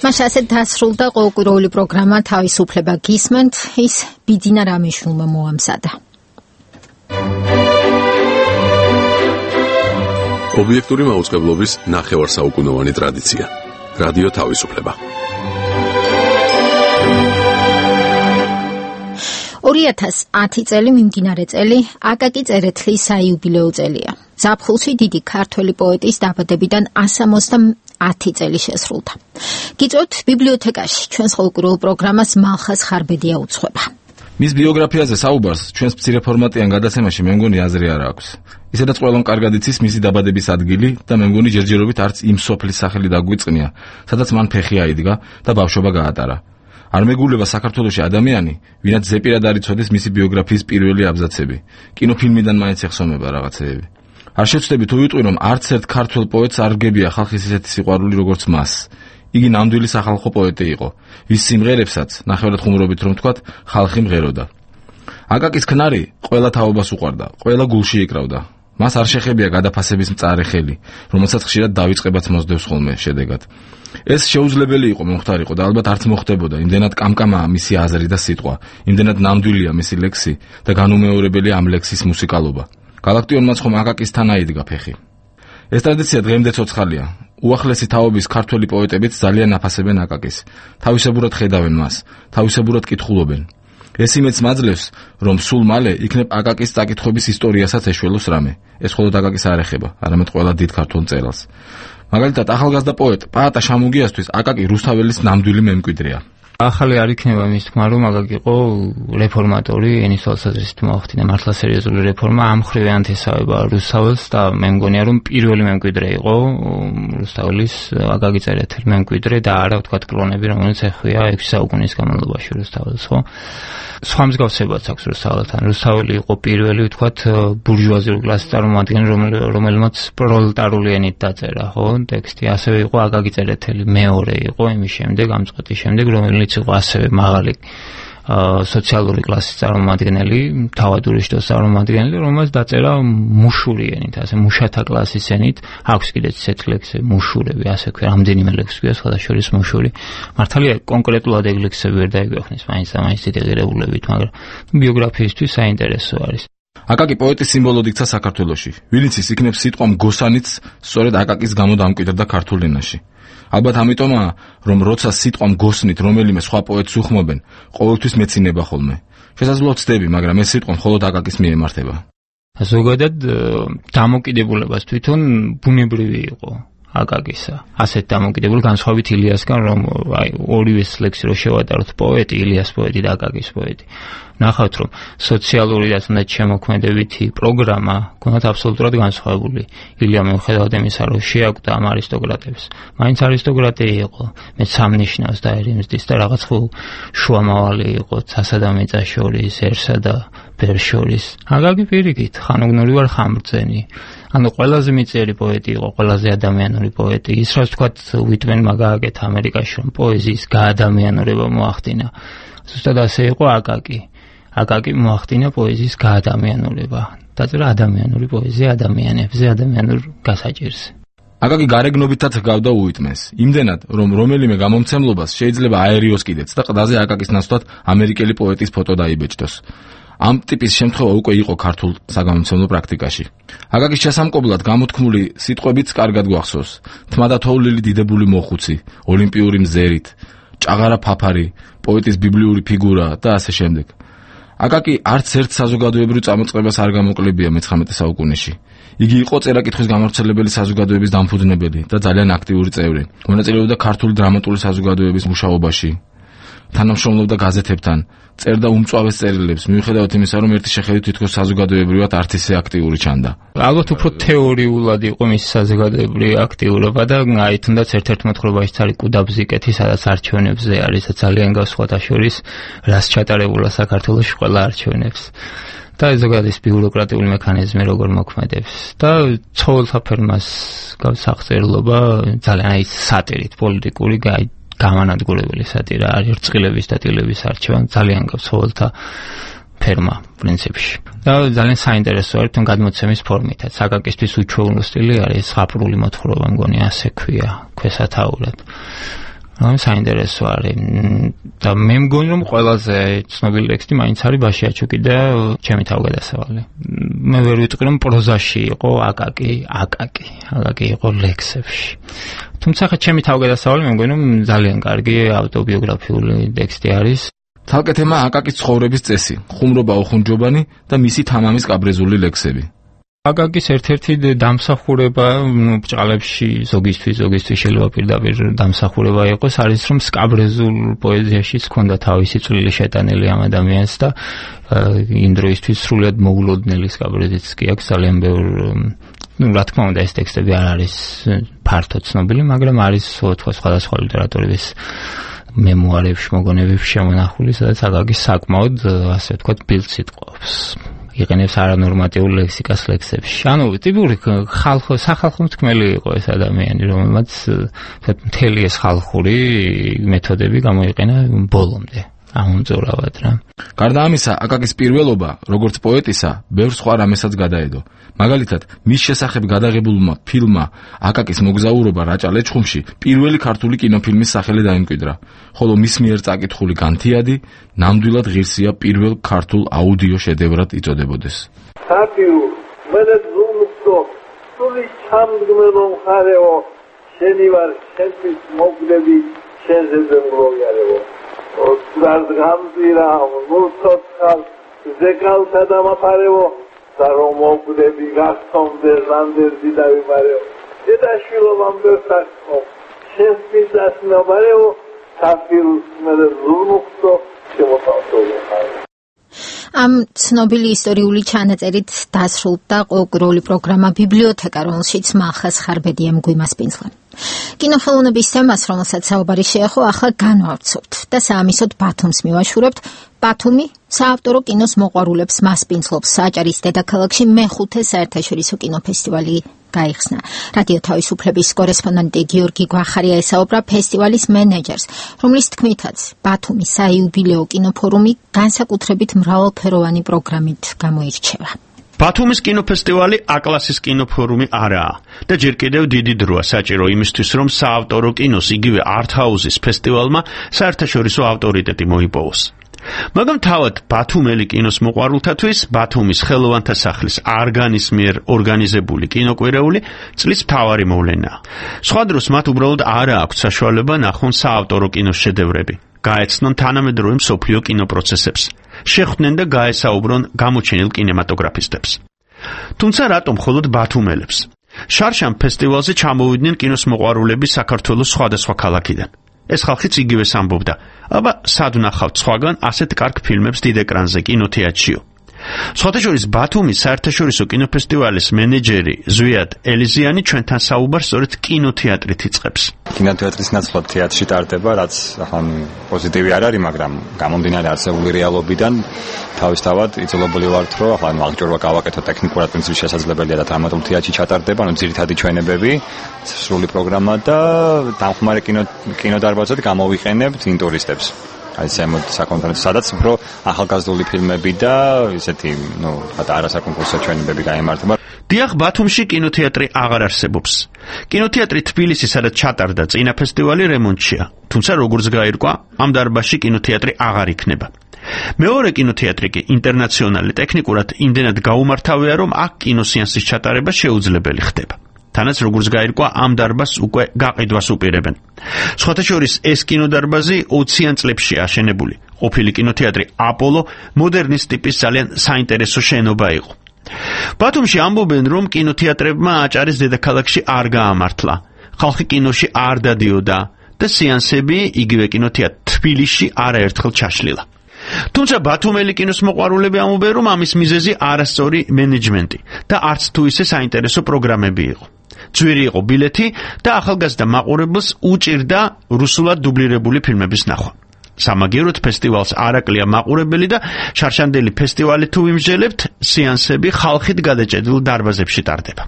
თითქმის ასეთ დასრულდა ყოველკვირეული პროგრამა თავისუფლება გისმენთ, ის ბიძინა რამიშვილმა მოამზადა. ობიექტური მაუწყებლობის ნახევარსაუკუნოვანი ტრადიცია. რადიო თავისუფლება. ორი ათას ათი წელი მიმდინარე წელი აკაკი წერეთლის საიუბილეო წელია. ზაფხულში დიდი ქართველი პოეტის დაბადებიდან ასამოცდაათი წელი შესრულდა. გიწევთ ბიბლიოთეკაში ჩვენს ყოველკვირეულ პროგრამას მალხაზ ხარბედია უძღვება. მის ბიოგრაფიაზე საუბარს ჩვენს მცირე ფორმატიან გადაცემაში მე მგონი აზრი არ აქვს. ისედაც ყველამ კარგად იცის მისი დაბადების ადგილი და მე მგონი ჯერჯერობით არც იმ სოფლის სახელი დაგვიწყნია, სადაც მან ფეხი აიდგა და ბავშვობა გაატარა. არ მეგულება საქართველოში ადამიანი, ვინაც ზეპირად არ იცოდეს მისი ბიოგრაფიის პირველი აბზაცები. კინოფილმიდან მაინც ეხსომება რაღაცეები. არ შეცდები თუ ვიტყვი, რომ არც ერთ ქართველ პოეტს არ გებია ხალხის ისეთი სიყვარული როგორც მას. იგი ნამდვილი სახალხო პოეტი იყო, ვის სიმღერებსაც, ნახევრად ხუმრობით რომ ვთქვათ, ხალხი მღეროდა. აკაკის ქნარი ყველა თაობას უყვარდა, ყველა გულში იკრავდა. მას არ შეხებია გადაფასების მწარე ხელი, რომელსაც ხშირად დავიწყებაც მოსდევს ხოლმე შედეგად. ეს შეუძლებელი იყო მომხდარიყო და ალბათ არც მოხდებოდა, იმდენად კამკამაა მისი აზრი და სიტყვა, იმდენად ნამდვილია მისი ლექსი და განუმეორებელია ამ ლექსის მუსიკალობა. გალაქტიონმაც ხომ აკაკისთან აიდგა ფეხი. ეს ტრადიცია დღემდე ცოცხალია. უახლესი თაობის ქართველი პოეტებიც ძალიან აფასებენ აკაკის. თავისებურად ხედავენ მას, თავისებურად კითხულობენ. ეს იმედს მაძლევს, რომ სულ მალე იქნებ აკაკის წაკითხების ისტორიასაც ეშველოს რამე. ეს მხოლოდ აკაკის არ ეხება, არამედ ყველა დიდ ქართველ მწერალს. მაგალითად, ახალგაზრდა პოეტ პაატა შამუგიასთვის აკაკი რუსთაველის ნამდვილი მემკვიდრეა. ახალი არ იქნება მის თქმა, რომ აკაკი იყო რეფორმატორი, ენის თვალსაზრისით მოახდინა მართლა სერიოზული რეფორმა, ამ ხრივიანთ ესავება რუსთაველს და მე მგონია, რომ პირველი მემკვიდრე იყო რუსთაველის აკაკი წერეთელი მემკვიდრე და არა ვთქვათ კლონები, რომელიც ეხვია ექვსი საუკუნის განმავლობაში რუსთაველს, ხო? სხვა მსგავსებაც აქვს რუსთაველთან. რუსთაველი იყო პირველი, ვთქვათ, ბურჟუაზიული კლასის წარმომადგენელი, რომელმაც პროლეტარული ენით დაწერა, ხო, ტექსტი. ასევე იყო აკაკი წერეთელი მეორე იყო იმის შემდეგ, ამ წყვეტის შემდეგ, რომელიც იყო ასევე მაღალი სოციალური კლასის წარმომადგენელი, თავადური შტოს წარმომადგენელი, რომელმაც დაწერა მუშური ენით, ასე მუშათა კლასის ენით. აქვს კიდეც ისეთი ლექსები, მუშურები, ასე ქვია, რამდენიმე ლექსი გვია, სხვადასხვა შორის მუშური. მართალია კონკრეტულად ეგ ლექსები ვერ დაიგვეხნის, მაინც და მაინც დიდი ღირებულებით, მაგრამ ბიოგრაფიისთვის საინტერესო არის. აკაკი პოეტის სიმბოლოდ იქცა საქართველოში. ვინც ის იქნებს სიტყვა მგოსანიც, სწორედ აკაკის გამო დამკვიდრდა ქართულ ენაში. ალბათ ამიტომაა, რომ როცა სიტყვა მგოსნით რომელიმე სხვა პოეტს უხმობენ, ყოველთვის მეცინება ხოლმე. შესაძლოა ვცდები, მაგრამ ეს სიტყვა მხოლოდ აკაკის მიემართება. ზოგადად დამოკიდებულებას თვითონ ბუნებრივი იყო აკაკისა. ასეთ დამოკიდებულ განსხვავებით ილიასგან, რომ აი ორივეს ლექსი რო შევატაროთ, პოეტი, ილიას პოეტი და აკაკის პოეტი. ნახავთ, რომ სოციალური და თუნდაც შემოქმედებითი პროგრამა გქონდათ აბსოლუტურად განსხვავებული. ილია მიუხედავად იმისა, რომ შეაკვდა ამ არისტოკრატებს, მაინც არისტოკრატი იყო, მეც სამნიშნავს და ერიმზდის და რაღაც ხო შუამავალი იყო, ცასა და მიწა შორის,ერსა და ბერს შორის. აკაკი პირიქით, ხანოგნური ვარ ხამბრძენი. ანუ ყველაზე მიწიერი პოეტი იყო, ყველაზე ადამიანური პოეტი. ის რაც თქვათ უიტმენმა გააკეთა ამერიკაში, რომ პოეზიის გაადამიანურება მოახდინა. ზუსტად ასე იყო აკაკი. აკაკი მოახდინა პოეზიის გაადამიანურება. დაწერა ადამიანური პოეზია ადამიანებზე, ადამიანურ გასაჭირზე. აკაკი გარეგნობითაც ჰგავდა უიტმენს. იმდენად, რომ რომელიმე გამომცემლობას შეიძლება აერიოს კიდეც და ყდაზე აკაკის ნაცვლად ამერიკელი პოეტის ფოტო დაიბეჭდოს. ამ ტიპის შემთხვევა უკვე იყო ქართულ საგამომცემლო პრაქტიკაში. აკაკის ჩასამკობლად გამოთქმული სიტყვებიც კარგად გვახსოვს. თმა და თოვლილი დიდებული მოხუცი, ოლიმპიური მზერით, ჭაღარა ფაფარი, პოეტის ბიბლიური ფიგურა და ასე შემდეგ. აკაკი არც ერთ საზოგადოებრივ წამოწყებას არ გამოკლებია მეცხრამეტე საუკუნეში. იგი იყო წერა-კითხვის გამავრცელებელი საზოგადოების დამფუძნებელი და ძალიან აქტიური წევრი. მონაწილეობდა ქართული დრამატული საზოგადოების მუშაობაში. თანამშრომლობდა გაზეთებთან, წერდა უმწვავეს წერილებს, მიუხედავად იმისა, რომ ერთი შეხედვით თითქოს საზოგადოებრივად არც ისე აქტიური ჩანდა. ალბათ უფრო თეორიულად იყო მისი საზოგადოებრივი აქტიურობა და აი თუნდაც ერთ-ერთ მოთხრობაში არის კუდაბზიკეთი, სადაც არჩევნებზე არის და ძალიან გასხვათა შორის რას ჩატარებულა საქართველოში ყველა არჩევნებს. და ზოგადად ის ბიუროკრატიული მექანიზმი როგორ მოქმედებს და ცხოველთა ფერმას გასახსერლობა ძალიან აი სატირით პოლიტიკური გაი გამანადგურებელი სატირა არის რწყილების და ტილების არჩევან ძალიან გაცხოველთა ფერმა პრინციპში და ძალიან საინტერესოა თვითონ გადმოცემის ფორმითაც აკაკისთვის უჩვეულო სტილი არის ზღაპრული მოთხრობა მგონი ასე ქვია ქვესათაურად რა საინტერესო არის და მე მგონი რომ ყველაზე ცნობილი ტექსტი მაინც არის ბაშიაჩუკი და ჩემი თავგადასავალი. მე ვერ ვიტყვი რომ პროზაში იყო აკაკი, აკაკი, აკაკი იყო ლექსებში. თუმცა ხა ჩემი თავგადასავალი მე მგონი რომ ძალიან კარგი ავტობიოგრაფიული ტექსტი არის. თალკე თემა აკაკის ცხოვრების წესი, ხუმრობა უხუნჯობანი და მისი თამამის კაბრეზული ლექსები. აკაკის ერთ-ერთი დამსახურება, ნუ ბჭყალებში ზოგისთვის, ზოგისთვის შეიძლება პირდაპირ დამსახურება იყოს, არის რომ სკაბრეზულ პოეზიაშიც ჰქონდა თავისი წვლილი შეტანილი ამ ადამიანს და იმ დროისთვის სრულად მოულოდნელი სკაბრეზიც კი აქვს ძალიან ბევრ, ნუ რა თქმა უნდა ეს ტექსტები არ არის ფართოდ ცნობილი, მაგრამ არის სხვა სხვადასხვა ლიტერატურის მემუარებში, მოგონებებში შემონახული, სადაც აკაკის საკმაოდ, ასე ვთქვათ, ბილდს იტყობს. იყენებს არანორმატიულ ლექსიკას ლექსებში. ანუ ტიპური ხალხო, სახალხო მთქმელი იყო ეს ადამიანი, რომელმაც მთელი ეს ხალხური მეთოდები გამოიყენა ბოლომდე. ამომწურავად რა. გარდა ამისა, აკაკის პირველობა, როგორც პოეტისა, ბევრ სხვა რამესაც გადაედო. მაგალითად, მის შესახებ გადაღებულმა ფილმმა აკაკის მოგზაურობა რაჭა-ლეჩხუმში პირველი ქართული კინოფილმის სახელი დაიმკვიდრა, ხოლო მის მიერ წაკითხული განთიადი ნამდვილად ღირსია პირველ ქართულ აუდიო შედევრად იწოდებოდეს. საპირუ, მე ზუმსო, სული ჩამდგმელო მხარეო, შენი ვარ, შენთვის მოგდები, შენზე მოგიარეო. გაზგამზირა, მულწოცხალ, ზეკალთა დამაფარეო, და რომ მოგდები გახსოვდე ზანდერდი დავიმარეო. დედაშვილო ვამბერსაკო, შენს მისას ნაბარეო, საფირუს მე ზურმუხტო, შემოთავსოვე. ამ ცნობილი ისტორიული ჩანაწერით დასრულდა ყოველკვირეული პროგრამა ბიბლიოთეკა, რომელშიც მახას ხარბედიამ გვიმასპინძლა. კინოხელოვნების თემას, რომელსაც საუბარი შეეხო, ახლა განვავრცობთ და საამისოდ ბათუმს მივაშურებთ. ბათუმი საავტორო კინოს მოყვარულებს მასპინძლობს. საჭარის დედაქალაქში მეხუთე საერთაშორისო კინოფესტივალი გაიხსნა. რადიო თავისუფლების კორესპონდენტი გიორგი გვახარია ესაუბრა ფესტივალის მენეჯერს, რომლის თქმითაც ბათუმის საიუბილეო კინოფორუმი განსაკუთრებით მრავალფეროვანი პროგრამით გამოირჩევა. ბათუმის კინოფესტივალი A-კლასის კინოფორუმი არაა და ჯერ კიდევ დიდი დროა საჭირო იმისთვის, რომ საავტორო კინოს იგივე არტ-ჰაუსის ფესტივალმა საერთაშორისო ავტორიტეტი მოიპოვოს. მაგრამ თავად ბათუმელი კინოს მოყვარულთათვის ბათუმის ხელოვანთა სახლის არგანის მიერ ორგანიზებული კინოკვირეული წლის მთავარი მოვლენაა. სხვა დროს მათ უბრალოდ არ აქვთ საშუალება ნახონ საავტორო კინოს შედევრები, გაეცნონ თანამედროვე მსოფლიო კინოპროცესებს, შეხვდნენ და გაესაუბრონ გამოჩენილ კინემატოგრაფისტებს. თუმცა რატომ მხოლოდ ბათუმელებს? შარშან ფესტივალზე ჩამოვიდნენ კინოს მოყვარულები საქართველოს სხვადასხვა ქალაქიდან. ეს ხალხიც იგივეს ამბობდა, აბა სად ვნახავთ სხვაგან ასეთ კარგ ფილმებს დიდ ეკრანზე კინოთეატრშიო. სხვათა შორის ბათუმის საერთაშორისო კინოფესტივალის მენეჯერი ზვიად ელიზიანი ჩვენთან საუბარს სწორედ კინოთეატრით იწყებს. კინოთეატრის ნაცვლად თეატრში ტარდება, რაც ახლა პოზიტივი არ არის, მაგრამ გამომდინარე არსებული რეალობიდან თავისთავად იძულებული ვართ, რომ ახლა მაგჭორვა გავაკეთოთ ტექნიკურად პრინციპში შესაძლებელია და დრამატულ თეატრში ჩატარდება, ანუ ძირითადი ჩვენებები, სრული პროგრამა და დამხმარე კინო კინოდარბაზად გამოვიყენებთ ინტურისტებს. აი ზემოთ საკონფერენციო, სადაც უფრო ახალგაზრდული ფილმები და ისეთი, ნუ, თქვა არასაკონკურსო ჩვენებები გაიმართება. დიახ, ბათუმში კინოთეატრი აღარ არსებობს. კინოთეატრი თბილისი, სადაც ჩატარდა წინა ფესტივალი, რემონტშია. თუმცა როგორც გაირკვა, ამ დარბაზში კინოთეატრი აღარ იქნება. მეორე კინოთეატრი კი ინტერნაციონალი ტექნიკურად იმდენად გაუმართავია, რომ აქ კინოსეანსის ჩატარება შეუძლებელი ხდება. თანაც როგორც გაირკვა, ამ დარბაზს უკვე გაყიდვას უპირებენ. სხვათა შორის ეს კინოდარბაზი ოციან წლებში აშენებული. ყოფილი კინოთეატრი აპოლო მოდერნის ტიპის ძალიან საინტერესო შენობა იყო. ბათუმში ამბობენ, რომ კინოთეატრებმა აჭარის დედაქალაქში არ გაამართლა. ხალხი კინოში არ დადიოდა და სეანსები იგივე კინოთეატრ თბილისში არაერთხელ ჩაშლილა. თუმცა ბათუმელი კინოს მოყვარულები ამბობენ, რომ ამის მიზეზი არასწორი მენეჯმენტი და არც თუ ისე საინტერესო პროგრამები იყო. ძვირი იყო ბილეთი და ახალგაზრდა მაყურებელს უჭირდა რუსულად დუბლირებული ფილმების ნახვა. სამაგიეროდ ფესტივალს არ აკლია მაყურებელი და შარშანდელი ფესტივალი თუ ვიმსჯელებთ, სეანსები ხალხით გადაჭედილ დარბაზებში ტარდება.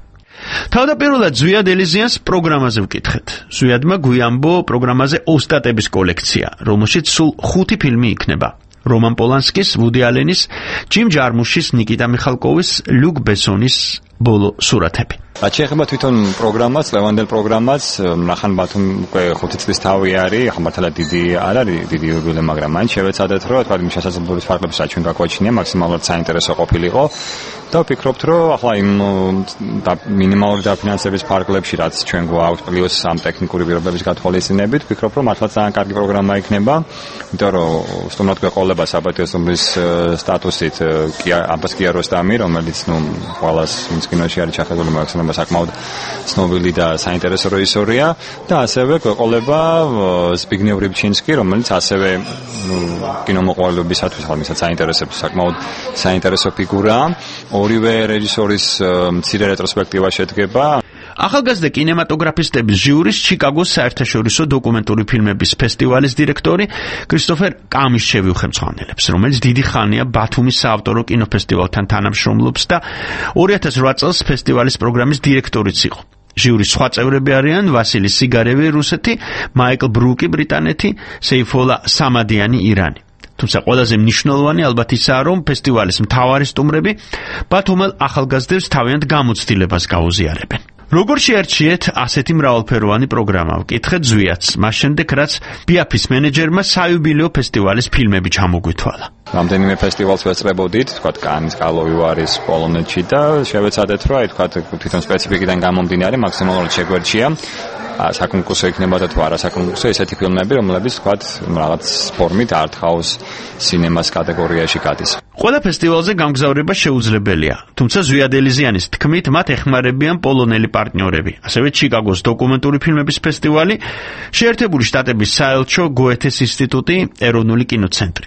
თავდაპირველად ზვიად ელიზიანს პროგრამაზე ვკითხეთ. ზვიადმა გვიამბო პროგრამაზე ოსტატების კოლექცია, რომელშიც სულ ხუთი ფილმი იქნება. რომან პოლანსკის, ვუდი ალენის, ჯიმ ჯარმუშის, ნიკიტა მიხალკოვის, ლუკ ბესონის ბოლო სურათები. რაც შეეხება თვითონ პროგრამას, ლევანდელ პროგრამას, ნახან ბათუმი უკვე ხუთი წლის თავი არის, ახლა მართლა დიდი არ არის, დიდი იუბილე, მაგრამ მაინც შევეცადეთ, რომ თქვა იმ შესაძლებლობის ფარგლებს რაც ჩვენ გაგვაჩნია, მაქსიმალურად საინტერესო ყოფილიყო და ვფიქრობთ, რომ ახლა იმ მინიმალური დაფინანსების ფარგლებში, რაც ჩვენ გვაქვს, პლუს ამ ტექნიკური პირობების გათვალისწინებით, ვფიქრობ, რომ მართლა ძალიან კარგი პროგრამა იქნება, იმიტომ რომ სტუმრად გვეყოლება საბატიო სტუმრის სტატუსით კი აბას კიაროსტამი, რომელიც ნუ ყველას ვინც კინოში არის ჩახედული, მაგრამ საკმაოდ ცნობილი და საინტერესო რეჟისორია და ასევე გვეყოლება ზბიგნევ რიბჩინსკი, რომელიც ასევე ნუ კინომოყვარელებისათვის ხალხსაც საინტერესებს, საკმაოდ საინტერესო ფიგურაა. ორივე რეჟისორის მცირე რეტროსპექტივა შედგება. ახალგაზრდა კინემატოგრაფისტების ჟიურის ჩიკაგოს საერთაშორისო დოკუმენტური ფილმების ფესტივალის დირექტორი კრისტოფერ კამიშჩევი უხელმძღვანელებს, რომელიც დიდი ხანია ბათუმის საავტორო კინოფესტივალთან თანამშრომლობს და ორი ათას ოთხ წელს ფესტივალის პროგრამის დირექტორიც იყო. ჟიურის სხვა წევრები არიან ვასილი სიგარევი რუსეთი, მაიკლ ბრუკი ბრიტანეთი, სეიფოლა სამადიანი ირანი. თუმცა ყველაზე მნიშვნელოვანი ალბათ ისაა, რომ ფესტივალის მთავარი სტუმრები ბათუმელ ახალგაზრდებს თავიანთ გამოცდილებას გაუზიარებენ. როგორ შეარჩიეთ ასეთი მრავალფეროვანი პროგრამა? ვკითხეთ ზვიათს, მას შემდეგ რაც ბიაფის მენეჯერმა საიუბილეო ფესტივალის ფილმები ჩამოგვითვალა. რამდენიმე ფესტივალს ვეწრებოდით, თქვა კანის, კალოვი ვარის, პოლონეთში და შევეცადეთ, რომ აი თქვა თვითონ სპეციფიკიდან გამომდინარე მაქსიმალურად შეგვერჩია საკონკურსო იქნება და თუ არა საკონკურსო ესეთი ფილმები, რომლებიც თქვა რაღაც ფორმით არტ-ჰაუს სინემას კატეგორიაში გადის. ყველა ფესტივალზე გამგზავრება შეუძლებელია, თუმცა ზვიად ელიზიანის თქმით, მათ ეხმარებიან პოლონელი პარტნიორები, ასევე ჩიკაგოს დოკუმენტური ფილმების ფესტივალი, შეერთებული შტატების საელჩო, გოეთეს ინსტიტუტი, ეროვნული კინოცენტრი.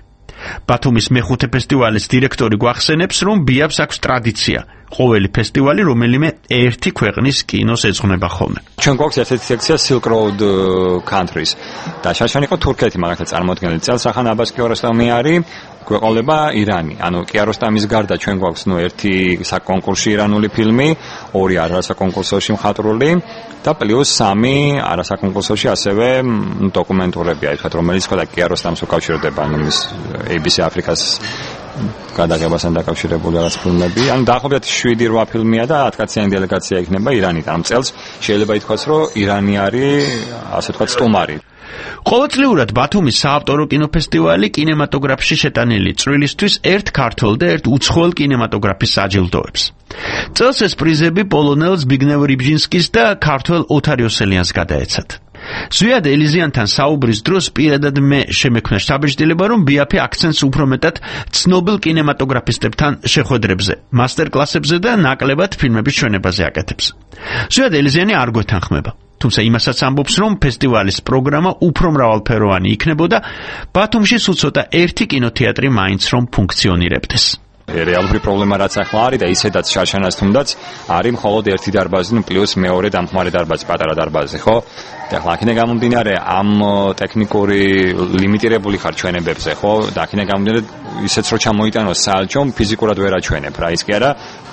ბათუმის მეხუთე ფესტივალის დირექტორი გვახსენებს, რომ ბიაფს აქვს ტრადიცია. ყოველი ფესტივალი რომელიმე ერთი ქვეყნის კინოს ეძღვნება ხოლმე. ჩვენ გვაქვს ერთ-ერთი სექცია Silk Road Countries და შაშანი იყო თურქეთი, მაგალითად წარმოადგენელი წელს ახან აბას კიაროსტამი არის, გვეყოლება ირანი. ანუ კიაროსტამის გარდა ჩვენ გვაქვს ნუ ერთი საკონკურსო ირანული ფილმი, ორი არასაკონკურსოში მხატვრული და პლუს სამი არასაკონკურსოში ასევე დოკუმენტურები, აი თქვა რომელიც ყველა კიაროსტამს უკავშირდება, ანუ მის A B C აფრიკას გადაღებასთან დაკავშირებული რაღაც ფილმები. ანუ დაახლოებით შვიდი რვა ფილმია და ათკაციანი დელეგაცია იქნება ირანიდან. ამ წელს შეიძლება ითქვას, რომ ირანი არის ასე ვთქვათ სტუმარი. ყოველწლიურად ბათუმის საავტორო კინოფესტივალი კინემატოგრაფში შეტანილი წვლილისთვის ერთ ქართველ და ერთ უცხოელ კინემატოგრაფის აჯილდოებს. წელს ეს პრიზები პოლონელ ზბიგნევ რიბჟინსკის და ქართველ ოთარ იოსელიანს გადაეცათ. ზვიად ელიზიანთან საუბრის დროს პირადად მე შემექმნა შთაბეჭდილება, რომ ბიაფი აქცენტს უფრო მეტად ცნობილ კინემატოგრაფისტებთან შეხვედრებზე, მასტერკლასებზე და ნაკლებად ფილმების ჩვენებაზე აკეთებს. ზვიად ელიზიანი არ გვეთანხმება. თუმცა იმასაც ამბობს, რომ ფესტივალის პროგრამა უფრო მრავალფეროვანი იქნებოდა, ბათუმში სულ ცოტა ერთი კინოთეატრი მაინც რომ ფუნქციონირებდეს. რეალური პრობლემა რაც ახლა არის და ისედაც შარშანას თუნდაც არის მხოლოდ ერთი დარბაზი, ნუ პლუს მეორე დამხმარე დარბაზი, პატარა დარბაზი, ხო? და ახლა აქედან გამომდინარე ამ ტექნიკური ლიმიტირებული ხარჩვენებებზე, ხო? და აქედან გამომდინარე ისეც რო ჩამოიტანოს საალჩომ ფიზიკურად ვერ აჩვენებ რა, ის კი არა,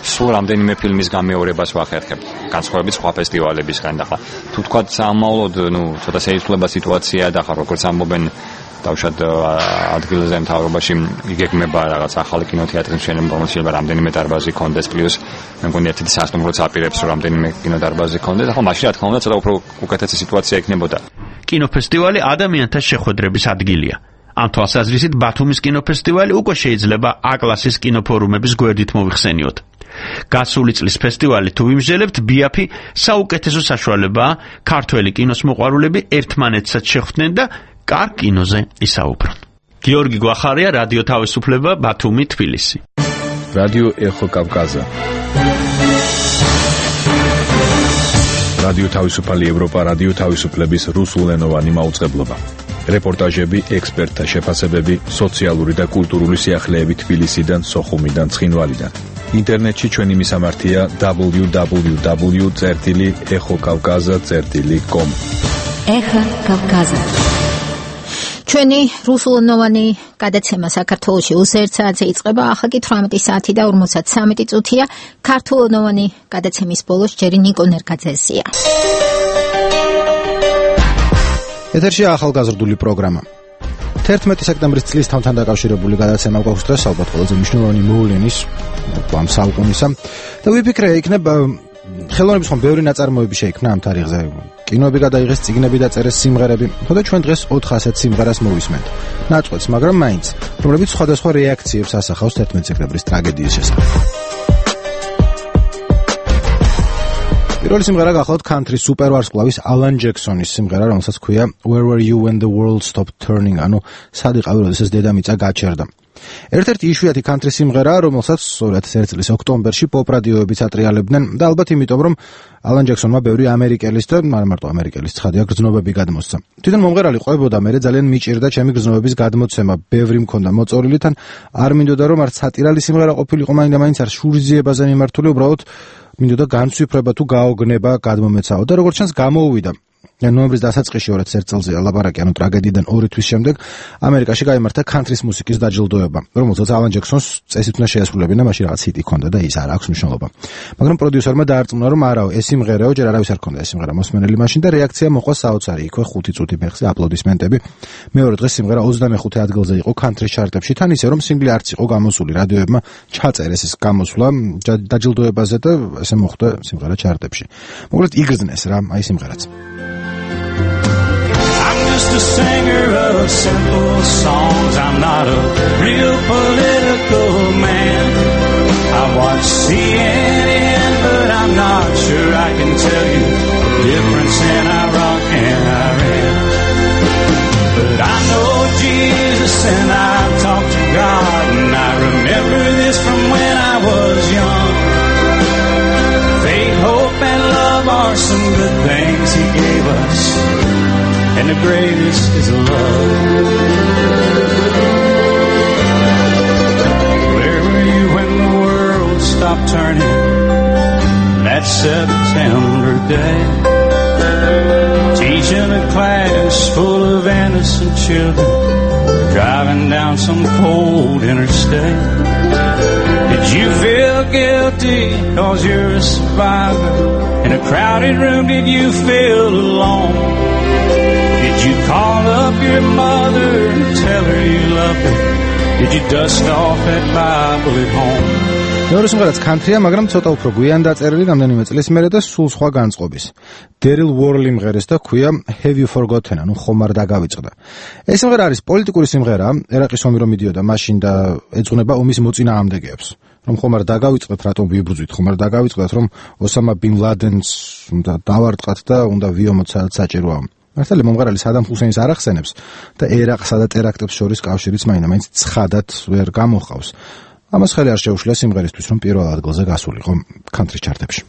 სულ რამდენიმე ფილმის გამეორებას ვახერხებთ, განსხვავებით სხვა ფესტივალებისგან და ახლა თუ თქვა სამავლოდ, ნუ ცოტა შეიცვლება სიტუაცია და ახლა როგორც ამბობენ დავშად ადგილზე მთავრობაში იგეგმება რაღაც ახალი კინოთეატრის მშენებლობა, რომელშიც შეიძლება რამდენიმე დარბაზი კონდეს, პლუს მე მგონი ერთ-ერთი სასტუმროც აპირებს, რომ რამდენიმე კინოდარბაზი კონდეს. ახლა მაშინ რა თქმა უნდა ცოტა უფრო უკეთესი სიტუაცია იქნებოდა. კინოფესტივალი ადამიანთა შეხვედრების ადგილია. ამ თვალსაზრისით ბათუმის კინოფესტივალი უკვე შეიძლება A-კლასის კინოფორუმების გვერდით მოიხსენიოთ. გასული წლის ფესტივალი თუ ვიმსჯელებთ, ბიაფი საუკეთესო საშუალებაა ქართველი კინოს მოყვარულები ერთმანეთსაც შეხვდნენ და კარგ კინოზე ისაუბრონ. გიორგი გვახარია, რადიო თავისუფლება, ბათუმი, თბილისი. რადიო ეხო კავკაზა. რადიო თავისუფალი ევროპა, რადიო თავისუფლების რუსულენოვანი მაუწყებლობა. რეპორტაჟები, ექსპერტთა შეფასებები, სოციალური და კულტურული სიახლეები თბილისიდან, სოხუმიდან, ცხინვალიდან. ინტერნეტში ჩვენი მისამართია double-u double-u double-u წერტილი ეხო კავკაზა წერტილი com. ეხო კავკაზა. ჩვენი რუსულენოვანი გადაცემა საქართველოში უსერთ საათზე იწყება, ახლა კი თვრამეტი საათი და ორმოცდათსამი წუთია. ქართულენოვანი გადაცემის ბოლოს ჯერი ნიკო ნერგაძესია. ეთერშია ახალგაზრდული პროგრამა. თერთმეტი სექტემბრის წლის თამთან დაკავშირებული გადაცემა გვაქვს დღეს ალბათ ყველაზე მნიშვნელოვანი მოვლენის ამ საუკუნისა და ვიფიქრე იქნებ ხელოვნების ხომ ბევრი ნაწარმოები შეიქმნა ამ თარიღზე კინოები გადაიღეს წიგნები დაწერეს სიმღერები ხოდა ჩვენ დღეს ოთხ ასეთ სიმღერას მოვისმენთ ნაწყვეტს მაგრამ მაინც რომლებიც სხვადასხვა რეაქციებს ასახავს თერთმეტი სექტემბრის ტრაგედიის შესახებ პირველი სიმღერა გახლავთ country სუპერვარსკვლავის ალან ჯექსონის სიმღერა რომელსაც ქვია Where Were You When the World Stopped Turning ანუ სად იყავი როდესაც დედამიწა გაჩერდა ერთ-ერთი იშვიათი country სიმღერა რომელსაც ორი ათას ერთი წლის ოქტომბერში პოპ რადიოებიც ატრიალებდნენ და ალბათ იმიტომ რომ ალან ჯექსონმა ბევრი ამერიკელის და არა მარტო ამერიკელის ცხადია გრძნობები გადმოსცა თვითონ მომღერალი ყვებოდა მე ძალიან მიჭირდა ჩემი გრძნობების გადმოცემა ბევრი მქონდა მოწორილი თან არ მინდოდა რომ არც სატირალი სიმღერა ყოფილიყო მაინდა-მაინც არ შურიზიებაზე მიმართული უბრალოდ მინდოდა განცვიფრება თუ გაოგნება გადმომეცაო და როგორც ჩანს გამოუვიდა ნოემბრის დასაწყისში ორი ათას ერთი წელზე ლაპარაკი ანუ ტრაგედიიდან ორი თვის შემდეგ ამერიკაში გაიმართა country-ს მუსიკის დაჯილდოება რომელსაც ალან ჯექსონს წესით უნდა შეასრულებინა მაშინ რაღაც ჰიტი ჰქონდა და ის არ აქვს მნიშვნელობა მაგრამ პროდიუსერმა დაარწმუნა რომ არაო ეს სიმღერაო ჯერ არავის არ ჰქონდა ეს სიმღერა მოსმენელი მაშინ და რეაქცია მოყვა საოცარი იქვე ხუთი წუთი ფეხზე აპლოდისმენტები მეორე დღეს სიმღერა ოცდამეხუთე ადგილზე იყო country ჩარტებში თან ისე რომ სინგლი არც იყო გამოსული რადიოებმა ჩაწერეს ეს გამოსვლა დაჯილდოებაზე და ესე მოხდა სიმღერა ჩარტებში მოკლედ იგრძნეს რა აი სიმღერაც Just a singer of simple songs. I'm not a real political man. I watch C N N, but I'm not sure I can tell you the difference in Iraq and Iran. But I know Jesus and I talk to God, and I remember this from when I was young. Faith, hope, and love are some good things He gave us. And the greatest is love. Where were you when the world stopped turning that September day? Teaching a class full of innocent children, driving down some cold interstate. Did you feel guilty cause you're a survivor? In a crowded room did you feel alone? Did you call up your mother and tell her you loved her? Did you dust off that Bible at home? მეორე სიმღერაც country-ა, მაგრამ ცოტა უფრო გვიან დაწერილი რამდენიმე წლის მერე და სულ სხვა განწყობის. Daryl Worley მღერეს და ქვია Have You Forgotten, ანუ ხომ არ დაგავიწყდა. ეს სიმღერა არის პოლიტიკური სიმღერა, ერაყის ომი რომ მიდიოდა მაშინ და ეძღვნება ომის მოწინააღმდეგეებს. რომ ხომ არ დაგავიწყდეთ, რატომ ვიბრძვით, ხომ არ დაგავიწყდეთ, რომ ოსამა ბინ ლადენს უნდა დავარტყათ და უნდა ვიომოთ სადაც საჭიროა. მართალია მომღერალი სადამ ჰუსეინს არ ახსენებს და ერაყსა და ტერაქტებს შორის კავშირიც მაინდა-მაინც ცხადად ვერ გამოხავს. ამას ხელი არ შეუშლია სიმღერისთვის, რომ პირველ ადგილზე გასულიყო country ჩარტებში.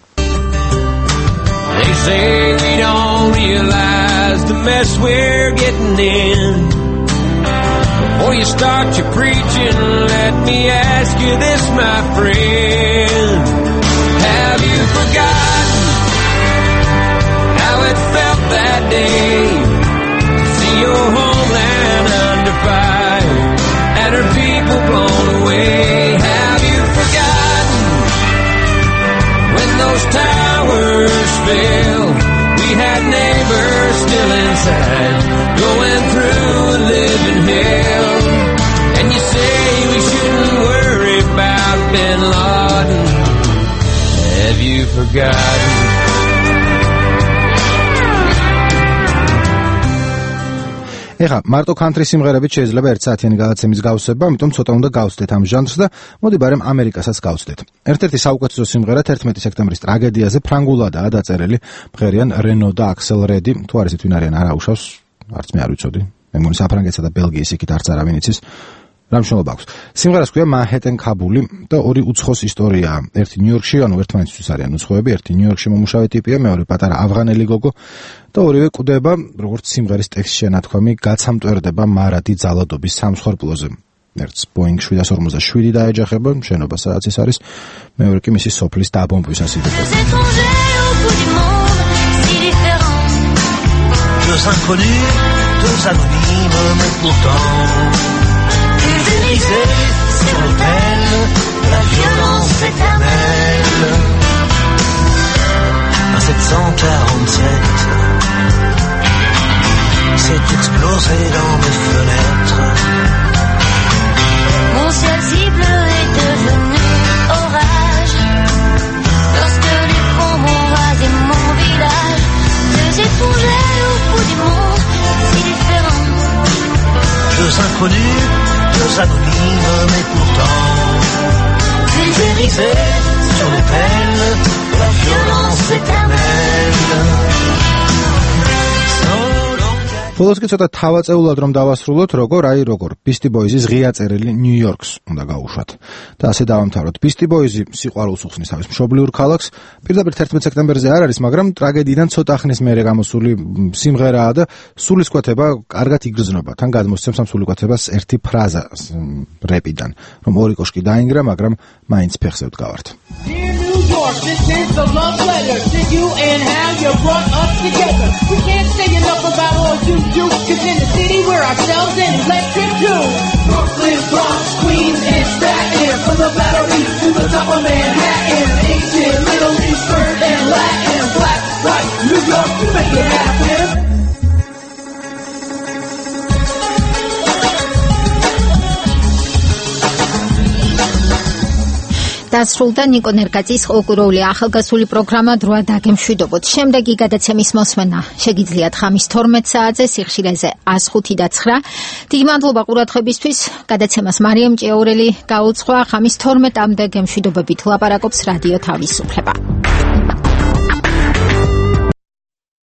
They say we don't realize the mess we're getting in. Before you start your preaching, let me ask you this, my friend. Have you forgotten how it felt that day to see your homeland under fire and her people blown away? Have you forgotten when those towers fell? We had neighbors still inside, going through a living hell. And you say we shouldn't worry about Bin Laden. Have you forgotten? ეხა მარტო country სიმღერებით შეიძლება ერთ საათიანი გადაცემის გავსება, ამიტომ ცოტა უნდა გავცდეთ ამ ჟანრს და მოდი ბარემ ამერიკასაც გავცდეთ. ერთ-ერთი საუკეთესო სიმღერა თერთმეტი სექტემბრის ტრაგედიაზე ფრანგულადაა დაწერილი, მღერიან რენო და აქსელ რედი, თუ არ ისეთ ვინ არიან არ აუშავს, არც მე არ ვიცოდი. მე მგონი საფრანგეთსა და ბელგიის იქით არც არავინ იცის. რა მნიშვნელობა აქვს? სიმღერას ქვია მანჰეტენ ქაბული და ორი უცხოს ისტორიაა. ერთი ნიუ-იორკში, ანუ ერთმანეთისთვის არიან უცხოები, ერთი ნიუ-იორკში მომუშავე ტიპია, მეორე პატარა ავღანელი გოგო და ორივე კვდება, როგორც სიმღერის ტექსტში შენათქვამი, გაცამტვერდება მარადი ძალადობის სამსხვერპლოზე. ერთს Boeing შვიდას ორმოცდაშვიდი დაეჯახება, შენობა სადაც ის არის, მეორე კი მისი სოფლის დაბომბვის ასიდებს. Deux inconnus, deux anonymes, mais pourtant sur l'autel, la violence éternelle. Un sept cent quarante-sept s'est explosé dans mes fenêtres. deux inconnus, deux anonymes, mais pourtant pulvérisés sur les pelles de la violence éternelle. ბოლოს კი ცოტა თავაწეულად რომ დავასრულოთ, როგორ აი როგორ Beastie Boys-ის ღია წერილი New York-ს უნდა გავუშვათ. და ასე დავამთავროთ. Beastie Boys-ი სიყვარულს უხსნის თავის მშობლიურ ქალაქს. პირდაპირ თერთმეტ სექტემბერზე არ არის, მაგრამ ტრაგედიიდან ცოტა ხნის მერე გამოსული სიმღერაა და სულისკვეთება კარგად იგრძნობა. თან გადმოსცემს ამ სულისკვეთებას ერთი ფრაზა რეპიდან, რომ ორი კოშკი დაინგრა, მაგრამ მაინც ფეხზე ვდგავართ. This is the love letter to you and how you brought us together. We can't say enough about all you do, cause in the city we're ourselves and electric too. Brooklyn, Bronx, Queens, and Staten, from the Battery to the top of Manhattan. Asian, Middle Eastern, and Latin, black, white, New York, you make it happen. დასრულდა ნიკო ნერგაძის ოქროული ახალგაზრდული პროგრამა დროა დაგემშვიდობოთ. შემდეგი გადაცემის მოსმენა შეგიძლიათ ხამის თორმეტ საათზე სიხშირეზე ას ხუთი და ცხრა. დიდი მადლობა ყურადღებისთვის. გადაცემას მარიამ ჭიაურელი გაუძღვა. ხამის თორმეტამდე გემშვიდობებით ლაპარაკობს რადიო თავისუფლება.